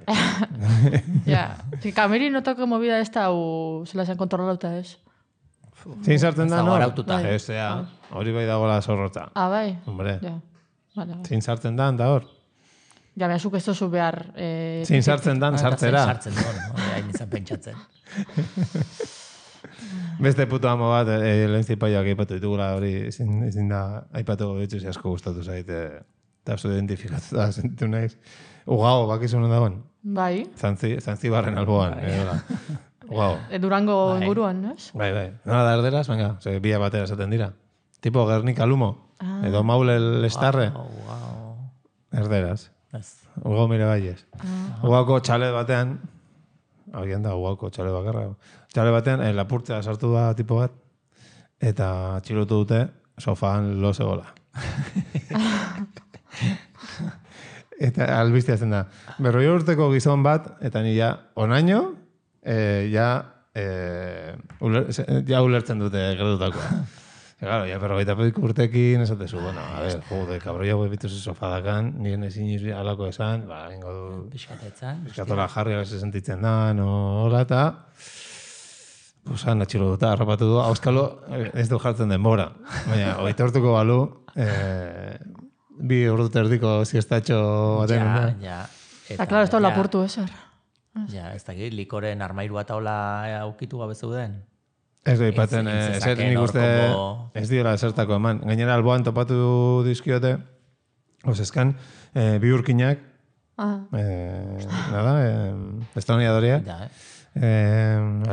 Ja, kameri notako movida ez da zela zen kontrolauta ez. Zin sartzen da, no? Ez, hori bai dagoela zorrota. Bai? Hombre. Zin sartzen da, da hor? Ja, behazuk ez tozu behar... Zin sartzen da, sartzera. Sartzen da, hain izan pentsatzen. Beste puto amo bat, lehen zipaiak aipatu ditugula hori, ezin da aipatuko dituz asko gustatu zaite. Eta oso identifikatu da, zentu nahiz. Ugao, bakizu non dagoen? Bai. Zantzibarren alboan. Ugao. Durango inguruan, ez? Bai. Nola da erderaz, venga, bia batera esaten dira. Tipo Gernika Lumo. Edo Maule Lestarre. Erderaz. Ugao mire baiez. Ugaoko txalet batean, agian da, Ugaoko txalet bakarra. Txalet batean, lapurtzea sartu da tipo bat, eta txilotu dute sofaan lo zegoela. Eta albiztia zen da. 40 urteko gizon bat, eta ni ja, onaino, ja ulertzen dute gerdutakoa. Claro, ya, pero gaita pedik urtekin, esatezu, bueno, a ver, jode, kabroia bituzu sofadakan, nien ezin izbi alako esan, ingo du... Piskatola jarri abese sentitzen da, hola, eta... Pusan, atxilo duta, harrapatu du, auskalo, ez du jartzen denbora. Baina, oita urtuko balu, 2 urte erdiko ziestatxo baten. Ja. Eta, klaro, ez da lapurtu ezer. Ja, ez dakit, likoren armairua taula aukitu gabe zeuden. Ez du ipatzen, nik uste ez dira zertako eman. Gainera alboan topatu dizkiote, oseskan, bi urkinak, estoniadoriak,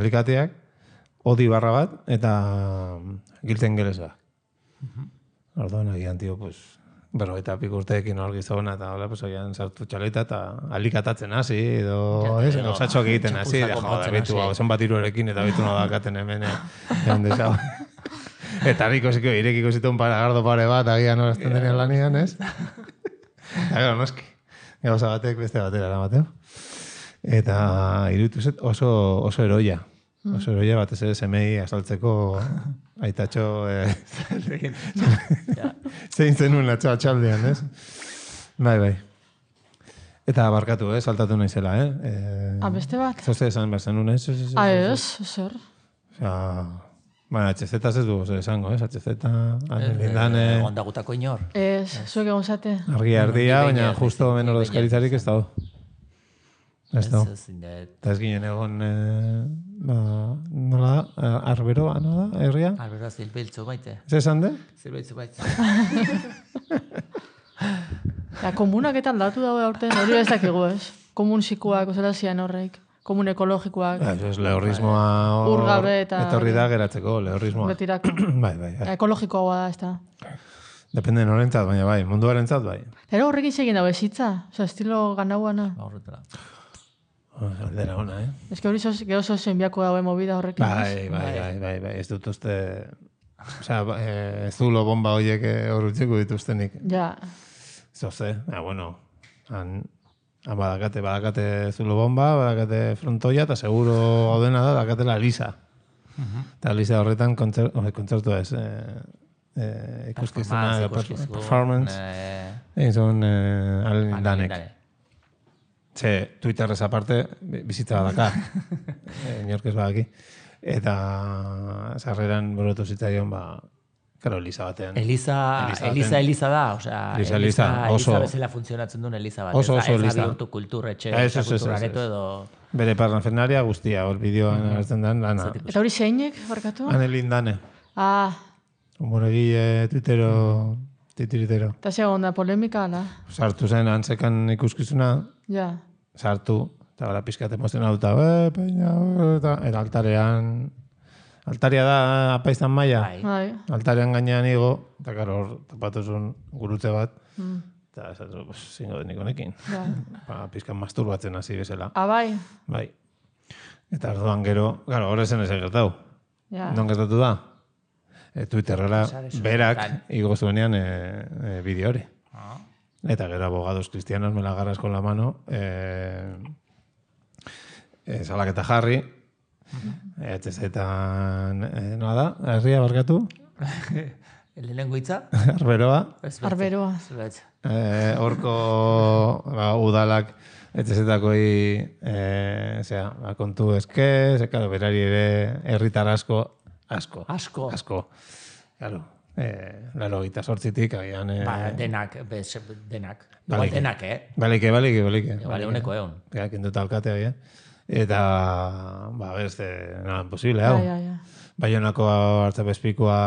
alikateak, odi barra bat, eta gilten geleza. Orduan, agian, tio, pues, eta piku urteekin hor gizona, eta hola, pues, agian sartu txaleta, eta alikatatzen hasi, edo, gauzatxoak egiten hasi, joder, bitu, zen bat iruarekin, eta bitu nadakaten hemen, Eta irekiko zituen paragardo pare bat, agian horazten denean lanian, ez? Eta gero, noski. Gauza batek beste batera eramateo. Eta iruditu zet oso eroia. Oso eroia batez ere semei asaltzeko aitatxo zein zenuen atxaldean, ez? Bai. Eta barkatu, saltatu naizela, Beste bat? Zoze esan behar zenun, ez? Zer. Baina, HZ ez du esango, ez? HZ, Lindane... Ondagutako inor. Zuek egon zate. Argia, baina justo hemen ordezkaritzarik ez dago. Ez dago. Eta ez ginen egon, nola da? Arberoa, nola da? Herria? Arberoa zilbiltzu baite. Ez esan de? Zilbiltzu baite. Komunak eta aldatu dago aurten, hori ez dakigu ez. Komun zikuak, ozera zian horreik. Komun ekologikoak. Ez lehorrismoa urgabe eta... Etorri da geratzeko, lehorrismoa. Betirako. Bai. Ekologikoa da, ez da. Depende norentzat, baina bai, munduarentzat bai. Eta horrekin segin dago ezitza, estilo ganauana. Horretara. Aldera ona, Ez que hori geho zozen biako dago movida horrekin. Bai, ez dut uste... Osea, zulo bomba horiek horretzeko dituztenik. Ja. Zoze, bueno, badakate zulo bomba, badakate frontoia, eta seguro gaudena da, badakatela Lisa. Eta Lisa horretan kontzertu ez, ikuskizuna, performance, egin zuen Danek. Ze, Twitterrez aparte, bizitza badaka, inork ez badaki. Eta sarreran borotu zitzaion, Karo, Elisa batean. Elisa da, osea, Elisa bezala funtzionatzen duen Elisa bat. Oso Elisa. Elisa. Bihurtu kulturretxe, kulturareto edo... Bere parnafenaria guztia, hor bideoan hartzen den lana. Eta hori zeinek, barkatu? Anelin Dane. Humoregile, titiritero. Eta segon da, polemika, ala? Sartu zen, antzekan ikuskizuna. Ja. Sartu, eta gara pizkat emozionatuta, peina, eta altarean... Altaria da apaiztan maia. Bai. Altarean gainean igo, eta karo hor tapatuzun gurutze bat, eta zingo denik honekin. Pizkan masturbatzen hasi bezala. Bai? Bai. Eta orduan gero, gero, hor esen ez gertatu. Non gertatu da? Twitterrera berak igo zuenean bideo hori. Eta gero abogados cristianos me la agarras con la mano, salaketa jarri, HZ-etan, nola da? Herria barkatu? Lehenengo hitza? Arberoa. Arberoa. Horko udalak HZ-takoi kontu eske, zekaro, berari ere herritar asko. Claro. Laro gita sortzitik, agian... Denak. Denak, Balike. Bale, uneko egon. Kenduta alkatea, agian. Eta, beste, nada, imposible, hau. Baionako hartzapezpikoa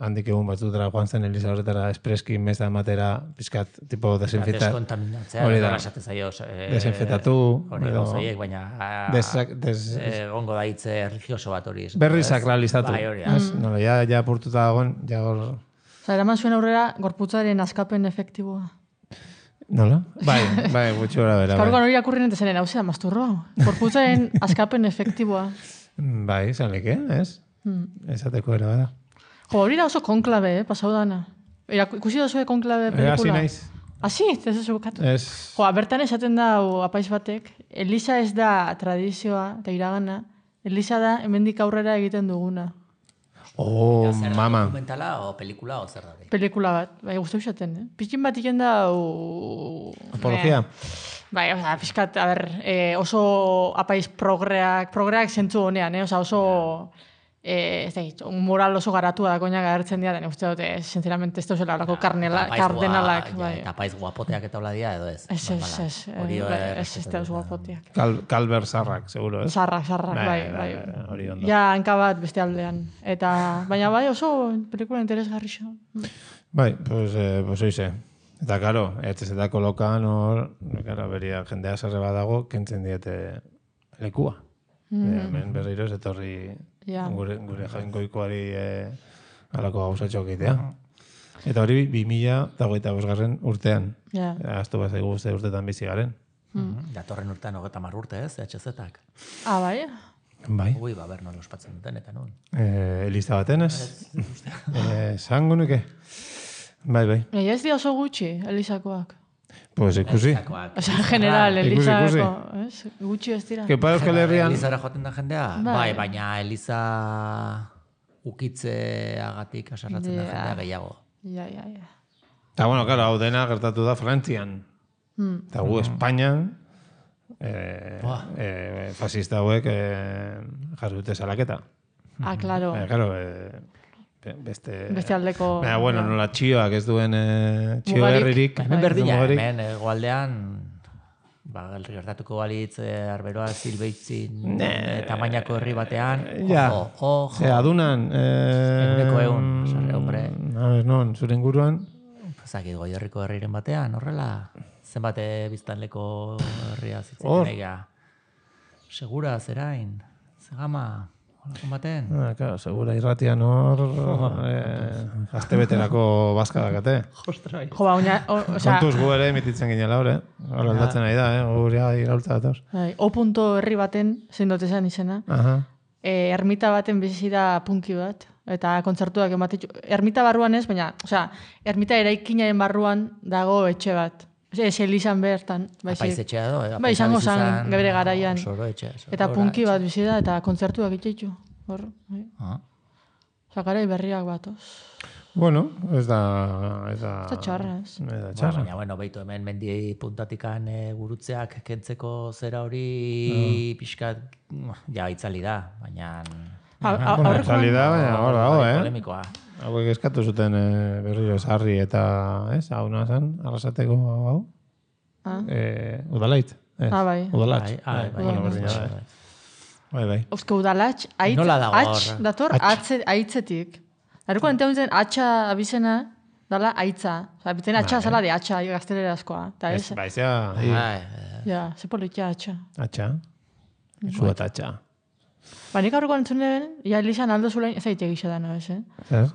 handik egun batzutara joan zen Elisa horretara espreski meza ematera pizkat, tipo, desinfeta... Deskontaminatzea, desinfetatu... Hori gauzaiek, baina... Ongo da hitze religioso bat hori. Berri sakralizatu. Bai, hori. Nola, ja apurtuta dagoen, ja hor... Eraman zuen aurrera gorputzaren askapen efektiboa. Nola? Bai, gutxi hori bera. Eskarruan hori akurri nente zenen, hau zera, masturroa. Gorputzaren askapen efektiboa. Bai, zanleke, ez? Esateko era bada. Hori da oso konklabe, pasau dana. Ikusi da zuen konklabe pelikula? Asi naiz. Asi, ez ez bukatu. Ez. Bertan esaten da apaiz batek, Elisa ez da tradizioa eta iragana, Elisa da hemendik aurrera egiten duguna. Mama. Dokumentala o pelikula o zer da? Pelikula bat, bai, guztu esaten, Pitxin bat iken da... Apologia? Bai, fiskat, oso apaiz progreak zentzu honean, oso... moral oso garatua da koinak agertzen dira, uste dute, sinceramente, ez dauzela horako kardenalak. Eta paiz guapoteak eta hola dia, edo ez? Ez dauz guapoteak. Kalber zarrak, seguro, ez? Zarrak, bai. Hori ondo. Ja, hanka bat beste aldean. Baina bai, oso pelikula interesgarri xo. Bai, pues oize. Eta, karo, etxezetako lokan hor, beria jendea zerre badago, kentzen diete lekua. Hemen berriro ez etorri gure jainkoikoari alako gauzatxok egitea. Eta hori 2025 urtean. Aztu bat zaigu urtetan bizi garen. Datorren urtean 30 urte ez, HZ-ak. Bai? Bai. Ui, ber, non ospatzen duten, eta nun. Eliza baten, ez? Zango nuke. Bai. Egia ez di oso gutxi, Elizakoak. Pues ikusi. Osa, en general, Elizako, gutxi ez dira. Kepa Euskal Herrian... Elizara joaten da jendea? Bai, baina Eliza ukitzeagatik asarratzen da jendea gehiago. Ja. Eta, bueno, claro, hau dena gertatu da Frantzian. Eta gu Espainian, fascista hauek jarri dute salaketa. Claro. Claro, beste aldeko... bueno, nola txioak ez duen txio herririk. Hemen berdina, hemen egualdean, gertatuko balitz arberoa zilbeitzin tamainako herri batean, ojo. Adunan... Eguneko egun, sarre, hombre. Non, zure inguruan? Zakit, goi herriko herriren batean, horrela, zenbate biztanleko herria zitzen egia. Segura, zerain, zegama... Olakon baten? Claro, segura irratian hor astebeterako bazka dakate. Ostrai. Jo, kontuz gu ere emititzen ginela hor, Hora aldatzen nahi da, gurea iraultza datoz. O. herri baten, zein dut esan izena, ermita baten bizi da punki bat, eta kontzertuak ematetxu. Ermita barruan ez, baina, ermita eraikinaren barruan dago etxe bat. Ez elizan bertan. Apaiz etxea do. Bai, izango zan, gebere garaian. Eta punki bat bizi da, eta kontzertuak itxeitu. Hor, bai. Zakarai berriak batoz. Bueno, ez da... Ez da txarra, ez. Baina, bueno, beitu hemen mendiei puntatikan gurutzeak kentzeko zera hori pixkat, ja, itzali da, baina... Itzali da, baina hor dago, polemikoa. Hauek eskatu zuten berriro sarri eta, hau nazan, arrasateko hau? Udalait. Bai. Udalatx. Bai. Euske udalatx, atx dator aitzetik. Dareko enteuntzen atxa abizena dala aitza. Biten atxa zala de atxa gaztelera askoa. Baizea. Ja, ze politia atxa. Atxa. Zuat atxa. Nik aurreko entzunen, Elizan aldo zulain, ez aitek gisa da, no ez,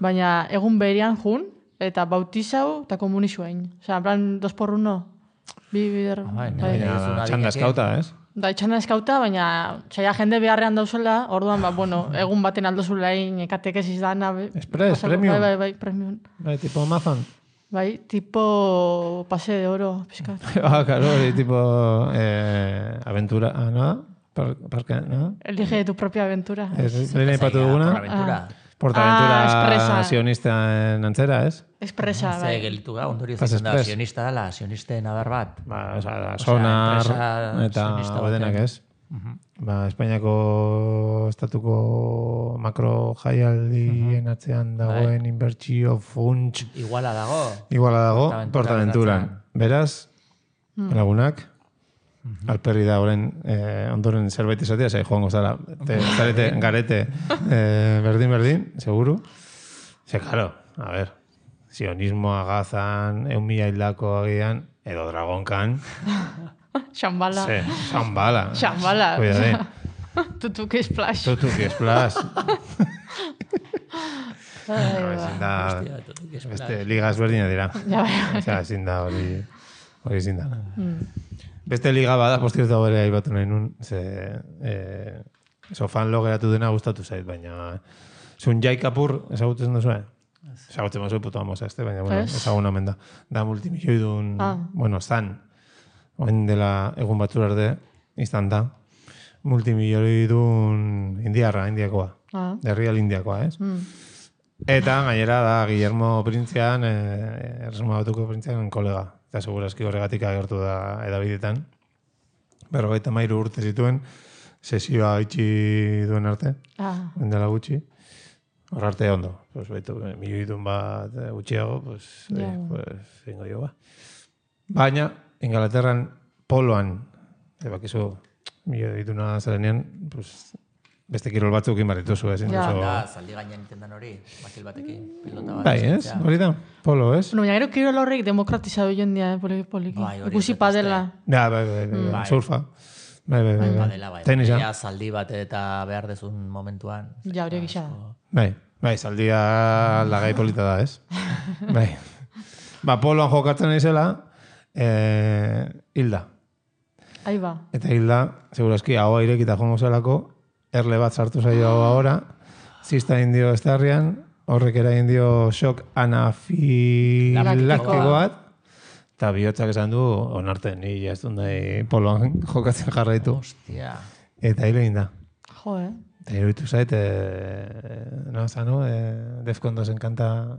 Baina egun berian jun, eta bautizau, eta komunisuain. En plan, 2x1. Bider... Txanda eskauta, ez? Da, txanda eskauta, baina saia jende beharrean dauzela, orduan, egun baten aldo zulain, katekesiz dana... Express, premium. Bai, premium. Bai, tipo Amazon. Bai, tipo pase de oro, pizkat. Claro, tipo aventura, ¿no? Parque, ¿no? Elige tu propia aventura. Lehen ipatu duguna? Portaventura sionista antzera, ez? Espresa, bai. Ze gelitu ga, ondorio zitzen da, sionista dela, sionisten adar bat. Sonar eta odenak, ez? Espainiako estatuko makro jaialdien atzean dagoen inbertsio funts. Iguala dago. Portaventuran. Beraz, lagunak, alperri da ondoren zerbait izatea, zai joango zara, zarete, garete, berdin, seguru. Claro, a ver, sionismoa gazan, 1.000 hildako agian, edo dragonkan. Xambala. Xambala. Cuidadín. Tutuki splash. Beste liga ezberdina dira. Ezin da hori ezin da. Beste liga bada, postirtu bere aibatu nahi nun, sofan lo geratu dena gustatu zait, baina zun Jai Kapur ezagutzen duzue? Ezagutzen mazue puto amos baina ezagun omen da. Da multimilioidun, zan, oen dela egun batzur arte, izan da, multimilioidun indiakoa, derrial indiakoa, ez? Eta gainera da Guillermo Printzean, Erresuma Batuko Printzean kolega. Eta segurazki horregatik agertu da edabidetan. 53 urte zituen, sesioa itxi duen arte, dela gutxi. Hor arte ondo, milioidun bat gutxiago, zingo jo ba. Baina, Ingalaterran poloan, bakizu milioiduna zelenean, beste kirol batzuk inbarrituzu, ezin duzu. Zaldi gainean intendan hori, bakil batekin, pilota bat. Bai, ez? Hori da, polo, ez? Baina gero kirol horrek demokratizatu jendia, poliki. Ikusi padela. Bai, surfa. Bai. Tenisa. Zaldi bat eta behar dezun momentuan. Ja, hori gisa. Bai, zaldia lagai polita da, ez? Bai. Poloan jokatzen naizela, hilda. Aiba. Eta hilda, segurazki, hau airekita jongo zelako, erle bat sartu zaio ahora, zista indio estarrian, horrek eragin dio shock anafilaktiko bat, eta bihotzak esan du, onarten, ni ez dut nahi poloan jokatzen jarraitu. Hostia. Eta hilo egin da. Jo, Eta iruditu zait, Defcon 2 kanta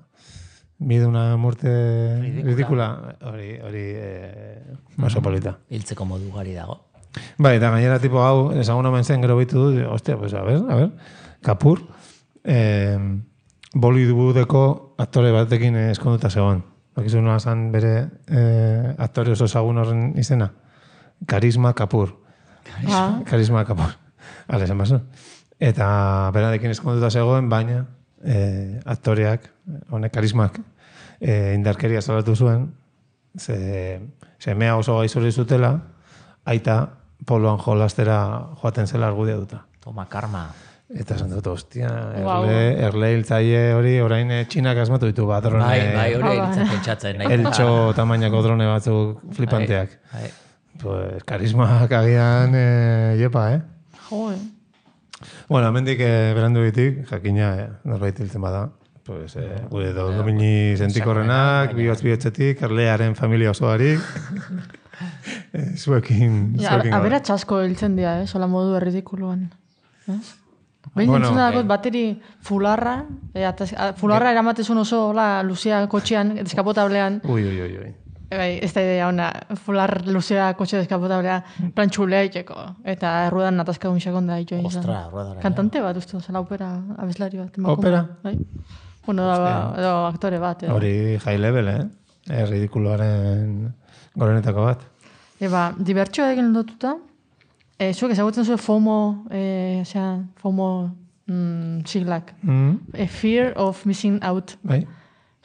mide una muerte ridícula. Hori oso polita. Hiltzeko modu gari dago. Bai, eta gainera tipo hau, esagun omen zen gero bitu du, hostia, pues a ver, Kapur, Bollywoodeko aktore batekin eskonduta zegoen. Bakizu nola zan bere aktore oso ezagun horren izena? Karisma Kapur. Karisma Kapur. Hale, esan baso. Eta beradekin eskonduta zegoen, baina aktoreak, honek karismak, indarkeria salatu zuen, semea oso gaizuri zutela, aita poloan jolastera joaten zela argudia duta. Toma, karma. Eta esan dut, ostia, erle hiltzaile hori, orain txinak asmatu ditu bat, drone. Bai, hori hiltzen pentsatzen. Eltxo tamainako drone batzuk flipanteak. Pues, karismak agian, jepa, Jo, Bueno, hemendik berandu ditik, jakina, norbait hiltzen bada. Pues, gure domini sentikorrenak, bihotz-bihotzetik, erlearen familia osoarik. Zuekin. Abera txasko hiltzen dira, sola modu erridikuluan. Behin entzuna dakot bateri fularra, fularra eramatezun oso luzea kotxean, eskapotablean. Ui. Ez da idea ona, fular luzea kotxe eskapotablea, plan txulea itxeko. Eta erruedan natazkadun xakon da itxoa izan. Ostra, erruedan. Kantante bat, uste, zela opera abeslari bat. Opera? Bueno, edo aktore bat. Hori high level, ridikuloaren gorenetako bat. Dibertsioa egin lotuta, zuek ezagutzen zuen FOMO, FOMO siglak. Fear of missing out. Bai.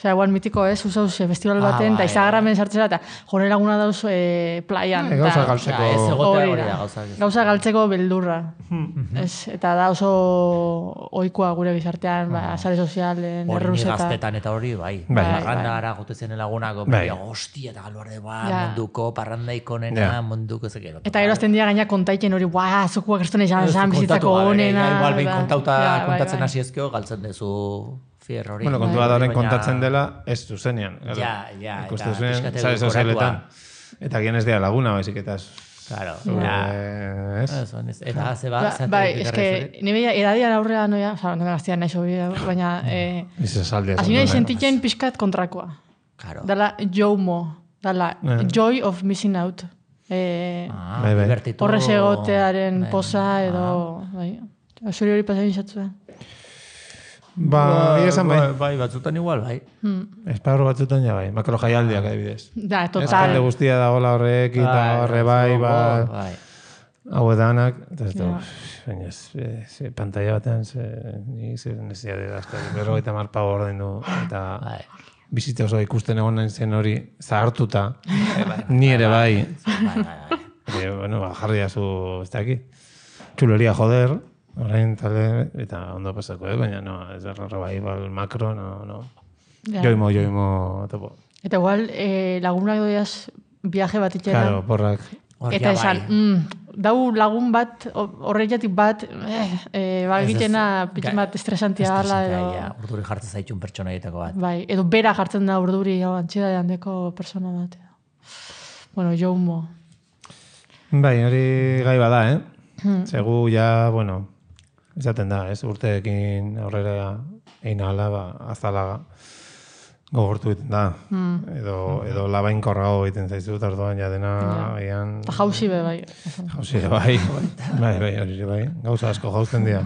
Osea, igual mitiko ez, usauz festival baten, eta Instagramen sartzera, eta jone laguna dauz playan. Gauza galtzeko. Gauza galtzeko beldurra. Eta da oso oikoa gure gizartean, sare sozialen, erruzeta. Hori gaztetan eta hori, bai. Parrandara gotezen lagunako, hostia, eta galuarde, munduko, parrandaiko nena, munduko zekero. Eta gero azten dira gaina kontaiten hori, zukuak gertuen izan bizitzako honena. Igual behin kontatzen hasi ezkeo, galtzen dezu fierrori. Bueno, kontua da horren kontatzen dela, ez zuzenean. Ja. Ikustu zuen, sare sozialetan. Eta gian ez dira laguna, baizik eta ez. Claro, eta bai, eske, nire edadian aurrera noia, oza, nire gaztian nahi sobi, baina hasi nahi sentitzen pixkat kontrakoa. Dala JOMO, dala Joy of Missing Out. Horrez egotearen posa edo, zuri hori pasain izatzua. Bai, batzutan igual, bai. Esparru batzutan ja bai, makro jaialdiak adibidez. Da, total. Eskende guztia da gola horrek, eta horre bai. Hau edanak, baina pantalla batean, ni nezia dira, berrogeita marpa ordein du, eta bizitza oso ikusten egon nahi zen hori zahartuta, ni ere bai. Bueno, jarri azu, ez da aquí, txuleria joder, orain talde, eta ondo pasako, baina no, ez revival makro, no. Joimo, topo. Eta igual, lagunak doiaz viaje bat itxera. Claro, porrak. Eta esan, dau lagun bat, horreiatik bat, egitena pitxin bat estresantia gala. Urduri jartzen zaitxun pertsona egiteko bat. Bai, edo bera jartzen da urduri, antxida handeko persona bat. Bueno, joimo. Bai, hori gai bada, Segu ja, bueno, izaten da, urteekin aurrera egin ala, azalaga gogortu egiten da. Edo labainkorrago egiten zaizu, tardoan ja dena egan... Eta jauzi be, bai. Jauzi be, bai. Hori bai. Gauza asko jauzten dira.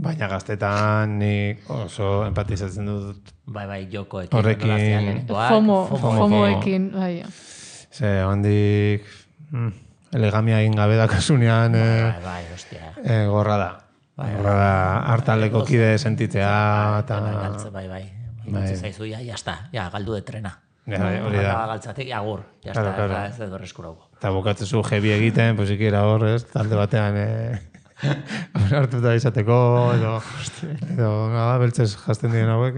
Baina gaztetan nik oso empatizatzen dut. Bai, jokoekin. Horrekin. FOMOekin, bai. Ze, hondik... Elegamia egin gabe dakasunean gorra da. Gorra da hartaleko kide sentitzea. Bai. Imatze zaizu, jazta, galdu de trena. Hori da. Galtzatik, agur, jazta, ez edo reskurauko. Eta bukatzezu jebi egiten, pues ikera hor, ez, talde batean hartuta izateko, edo beltzez jazten diren hauek.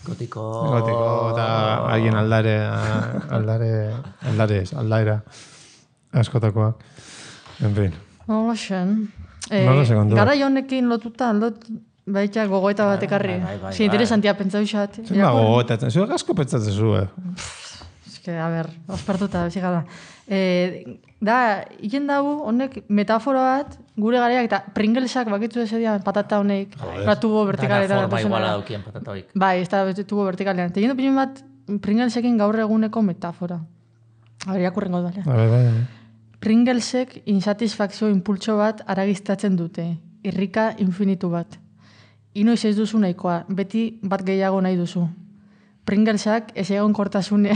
Gotiko, eta haien aldaera. Askotakoak. En fin. Hola, xen. Nola sekundu. Gara honekin lotuta, baita gogoeta bat ekarri. Si interesantia pentsa bixat. Zima gogoetatzen, zuek asko pentsatzen zu, Eske, a ber, ospartuta, bezikala. Da, iken dago, honek metafora bat, gure gareak, eta Pringlesak bakitzu ezedia patata honek, tubo vertikaletan. Dana forma iguala daukien patata hoik. Bai, ez da tubo vertikalean. Tegin opinion bat, Pringlesekin gaur eguneko metafora. A ber, jakurrengo dut, Bai. Pringlesek insatisfakzio impultso bat aragiztatzen dute. Irrika infinitu bat. Inoiz ez duzu nahikoa, beti bat gehiago nahi duzu. Pringlesak ez egon kortasunea...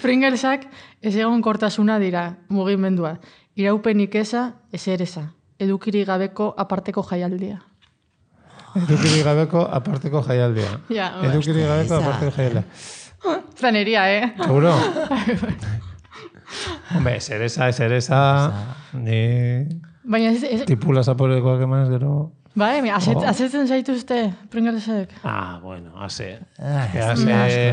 Pringlesak ez egon kortasuna dira, mugimendua. Iraupenik eza, ezereza. Edukiri gabeko aparteko jaialdia. Edukiri gabeko aparteko jaialdia. Edukiri gabeko aparteko jaialdia. Zaneria, Seguro? Hombre, ezereza, ni... Baina tipula zaporekoak emanez gero... Bai, azetzen zaituzte, Pringlesek. Bueno, haze.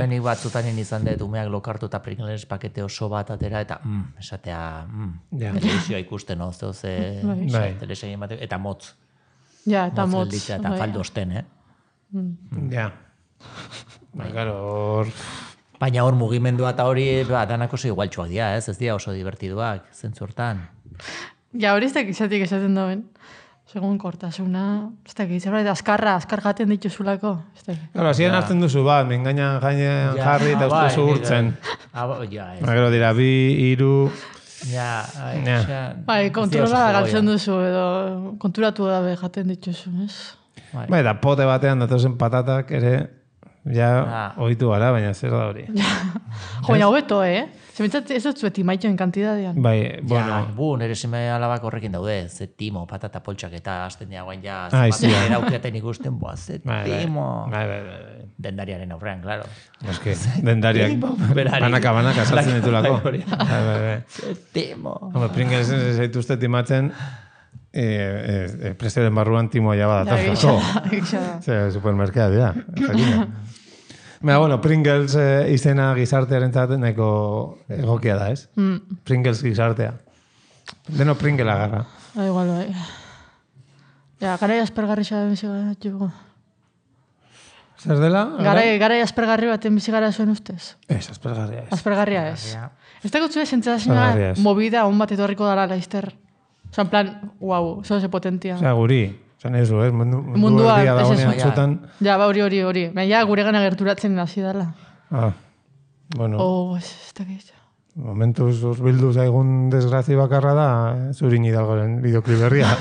Nik batzutan izan dut umeak lokartu eta Pringles pakete oso bat atera eta esatea televizioa ikusten, no? Telesegin bat, eta motz. Ja, eta motz. Eta faldo osten, Ja. Baina hor mugimendua eta hori danak oso igualtxoak dira, ez dira oso divertiduak, zentzu hortan. Ja, hori ez da izatik esaten dauen. Segun kortasuna, ez da zerbait, azkar jaten dituzulako. Claro, hasieran hartzen duzu bat, mengainan gainean jarri eta uste zu urtzen. Gero dira, 2, 3... Bai, kontrola galtzen duzu edo konturatu dabe jaten dituzu, ez? Bai, da pote batean datozen patatak ere, ja, ohitu gara, baina zer da hori. Jo, baina hobeto, Zementzat ez dut zueti maitxoen kantidadean. Bai, bueno. Nire seme alabak horrekin daude, ze timo, patata poltsak eta hasten dira guain ja, eraukeaten ikusten, ze timo. Bai. Dendariaren aurrean, klaro. Eske, dendariak banaka saltzen ditulako. Ze timo. Pringles zaituzte timatzen, presteren barruan timoa jaba datazko. Supermerkea dira. Bueno, Pringles izena gizartearen zaten nahiko egokia da, ez? Pringles gizartea. Deno Pringle agarra. Igual, bai. Ja, garai aspergarri xaben bizigara jugo. Zer dela? Garai aspergarri baten bizigara zuen ustez? Ez, aspergarria ez. Aspergarria ez. Ez da gutzu sentsazioa movida on bat etorriko dara laizter. Osa, en plan, wow, zo ze potentia. Osea, guri. Zan ez du, mundu erdia dagoenean txutan. Ja, ba, hori. Baina, gure gana gerturatzen hasi dela. Bueno. Ez da gehiago. Momentuz bildu zaigun desgrazi bakarra da, Zurin Hidalgoren bideoklip berria.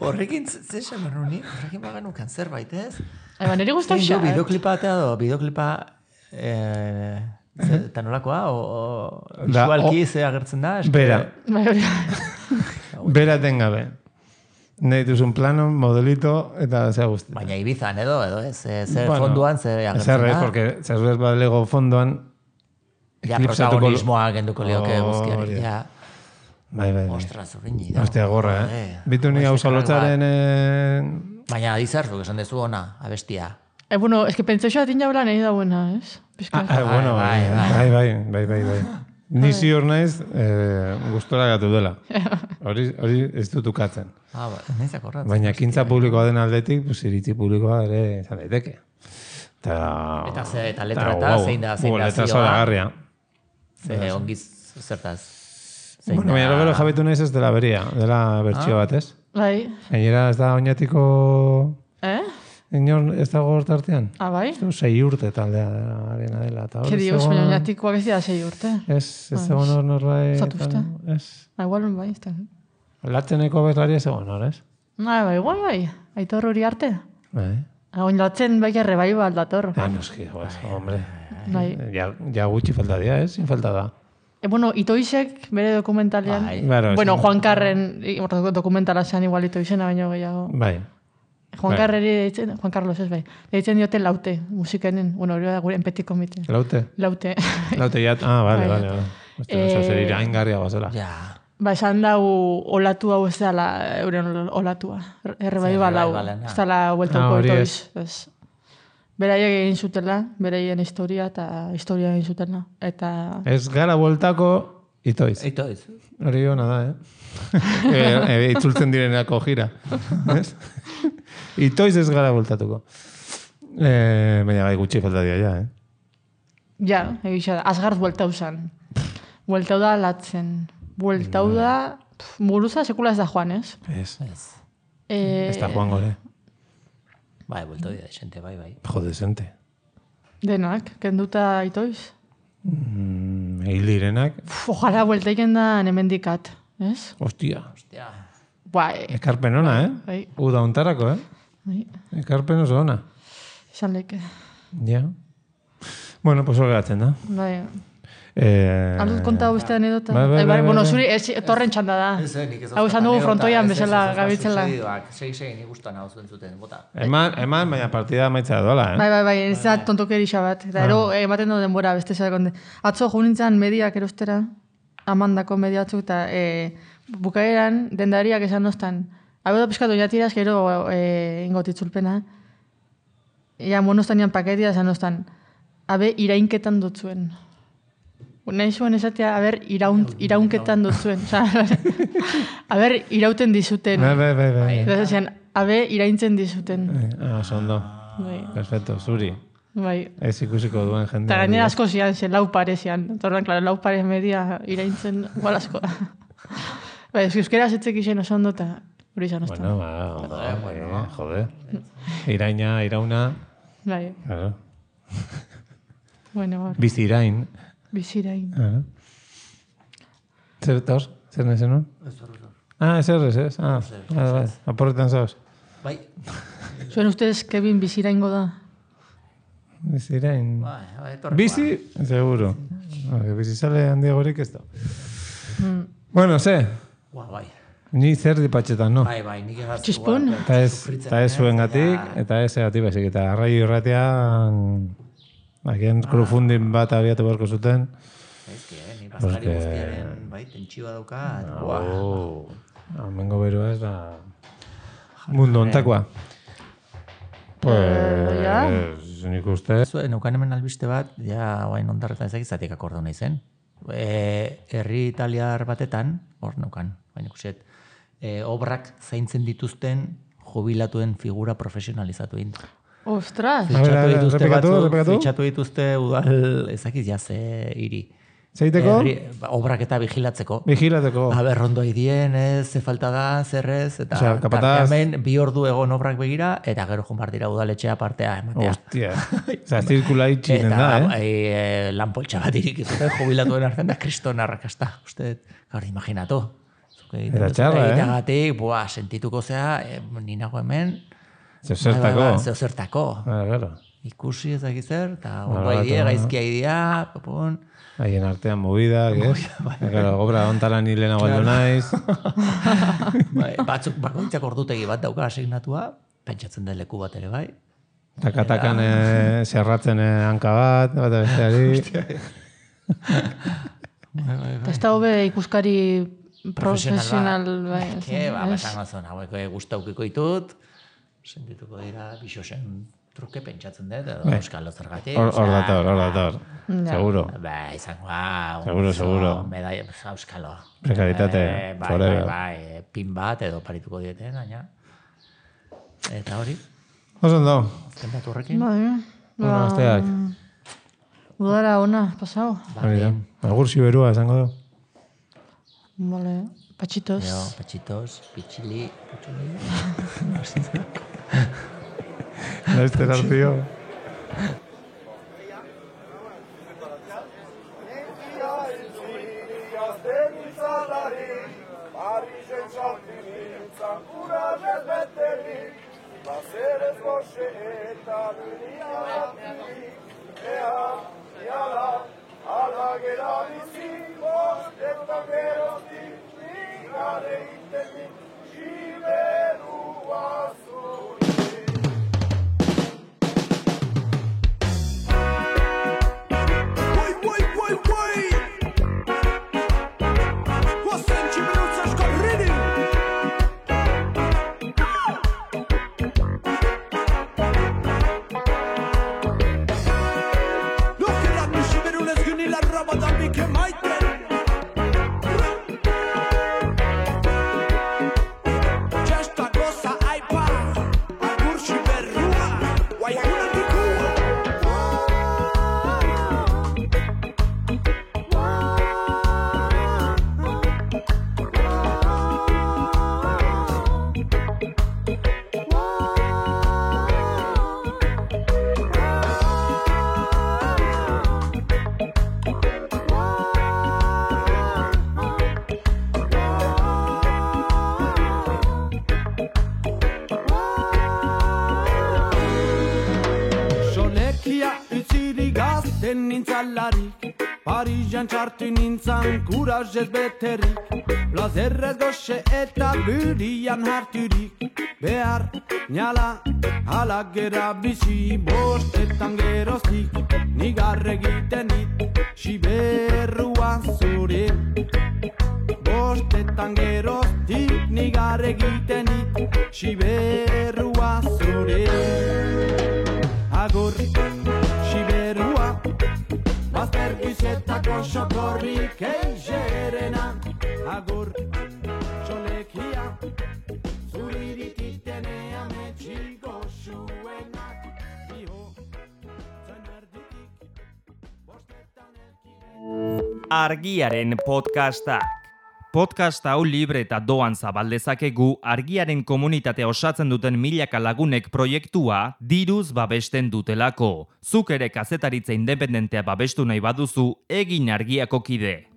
Horrekin, zesan berruni, horrekin baganukan zerbait, ez? Nire guztak xa. Bideoklipa atea do, bideoklipa... Eta nolakoa, visualki ze agertzen da? Bera tengabe. Nahi duzun plano, modelito, eta zea guzti. Baina Ibizan edo, zer fonduan, zer agertzen da? Zer, porque zer balego fonduan... Ja, protagonismoa genduko lioke guztiari. Bai. Ostras, horrein Hostia, gorra, Bitu ni hausa lotzaren... Baina adizarzu, esan dezu ona, abestia. Bueno, es que pentsau xa atin jaula nahi da buena, ez? Bueno, bai. Ni zior naiz gustora gatu dela. Hori ez dut ukatzen. Baina ekintza publikoa den aldetik, iritzi publikoa ere izan daiteke. Eta letra eta zein da zioa. Letra zoragarria. Ongiz zertaz. Bueno, baina gero jabetu naiz ez dela beria, dela bertsio bat, ez? Bai. Gainera ez da oinatiko... Inor ez dago hortartean? Bai? Ez 6 urte taldea dela. Ke dios, baina oinatikoak ez dira 6 urte. Ez egon hor norbait... Zatuzte. Igual bai, ez da. Latzeneko bezlari ez egon hor, ez? Igual bai. Aitor hori arte. Bai. Oin latzen bai errebai bat dator. Noski, hombre. Ja gutxi falta dira, ez? Sin falta da. Bueno, Itoizek bere dokumentalean... Bueno, Juan Carren dokumentala zean igual Itoizena baino gehiago. Bai. Juan Carlos ez bai. Deitzen diote Laute, musikenen. Bueno, hori da gure enpetiko mite. Laute? Laute, ja. Vale. Zer iraingarria bazela. Ja. Ba, esan dau olatu hau ez dela euren olatua. Errebai balau. Ez dela hueltauko Itoiz. Beraiek egin zutela, beraien historia eta historia egin zutela. Ez gara bueltako Itoiz. Itoiz. Hori hona da, itzultzen direnako gira. Itoiz ez gara bultatuko. Baina gai gutxi falta dia ja, Ja, egisa da. Azgarz bueltau zan. Bueltau da latzen. Bueltau da... Muguruza sekula ez da joan, ez? Ez. Ez da joan gore. Bai, bueltau dira desente, bai. Jo, desente. Denak, kenduta itoiz. Hil direnak. Ojala bueltaiken da hemendikat, ez? Ostia. Bai. Ekarpen ona, Bai. Uda ontarako, Bai. Ekarpen oso ona. Izan leke. Ja. Bueno, pues hori gatzen da. Bai. Aldut konta beste anedota. Bai. Bueno, zuri torren txanda da. Nik ez hau esan dugu frontoian bezala gabitzela. Sei, nik gustan hau zuten, bota. Eman, baina partida maitzea doala, Bai, ez da tontokerixa bat. Eta ero, ematen du denbora beste zerakonde. Atzo junintzan mediak erostera, amandako media batzuk, eta bukaeran dendariak esan doztan. Hau da pizkatu jatiraz, gero ingotitzulpena. Ja, monostanian paketia esan doztan. Habe, irainketan dutzuen. Nahi zuen esatea, iraunketan dutzuen. Aber, irauten dizuten. Bai. Habe, iraintzen dizuten. Sondo. Perfecto, zuri. Bai. Ez ikusiko duen jende. Eta gainera asko zian, lau pare zian. Torren, klaro, lau pare media iraintzen igual asko. Bai, euskera zetzek izen oso ondo, eta hori izan oztan. Bueno, jode. Irauna. Bai. Claro. Bueno, Bizirain. Bizirain. Zer tor? Zer nahi zenun? Ezer ez? Bai. Aporretan zauz. Bai. Zuen ustez, Kevin biziraingo da? Bizirain. Bizi, seguro. Bizi sale handiagorik ez da. Bueno, ze? Bai. Ni zer dipatxetan, no? Bai, nik egaz. Txispun? Eta ez zuen gatik, eta ez egatik baizik. Eta arraio irratean... Agian krufundin bat abiatu beharko zuten. Ni bazkari guztiaren, bai, tentsioa daukat. Amengo beroa ez da... Mundu ontakoa. Pues, nik uste... Neukan hemen albiste bat, ja, guain ondarretan ezakizatik akorda hona izen. Herri italiar batetan, hor neukan, baina ikuset, obrak zaintzen dituzten jubilatuen figura profesionalizatu egin. Ostras! Fitxatu dituzte udal ezakiz jaze hiri. Zeiteko? Obrak eta vigilatzeko. Vigilatzeko. Rondo idien, ze falta da, zerrez, eta hemen 2 ordu egon obrak begira, eta gero jumar dira udaletxea partea ematea. Hostia. Zirkula itxinen da, Lanpoltxa bat irikizute, jubilatuen arzen da, kriston arrakasta. Uste, gaur, imaginatu. Era txarra, Egiteagatik, sentituko zea, ninago hemen, Zeozertako. Ikusi ezakizer, eta ondo idea, gaizkia idea, popon. Haien artean movidak, ez? Obra ontaran hilena baldo naiz. Batzuk bakoitzak ordutegi bat dauka asignatua, pentsatzen den leku bat ere bai. Takatakan zerratzen hanka bat besteari. Ez da hobe ikuskari profesional bai. Basango zon, hauek guztaukiko ditut, sentituko dira bixosen truke pentsatzen dut, edo euskalo zergatik. Hor dator. Seguro. Seguro. Medaia, euskalo. Prekaritate. Bai, pin bat edo parituko dieten, baina. Eta hori. Osondo. Azken datu horrekin. Bai. Asteak. Udara ona, pasau. Agur ziberua, esango du. Vale. Pachitos. Pachitos, pichili. Laster hartio. nintzalarik, Parisan txartu nintzan kurazez beterik, plazerrez goxe eta burian harturik, behar nala halak gera bizi bostetan geroztik, nigar egiten dit, siberrua zure. Bostetan geroztik, nigar egiten dit, siberrua zure. Agur, siberrua, baztergizetako sokorrik eixerena. Agur, txolekia, zurirititenea metxiko zuenak. Iho, zen erditik, bostetan elkide. Argiaren podcastak. Podcast hau libre eta doan zabaldezakegu Argiaren komunitatea osatzen duten milaka lagunek proiektua diruz babesten dutelako. Zuk ere kazetaritza independentea babestu nahi baduzu, egin Argiako kide.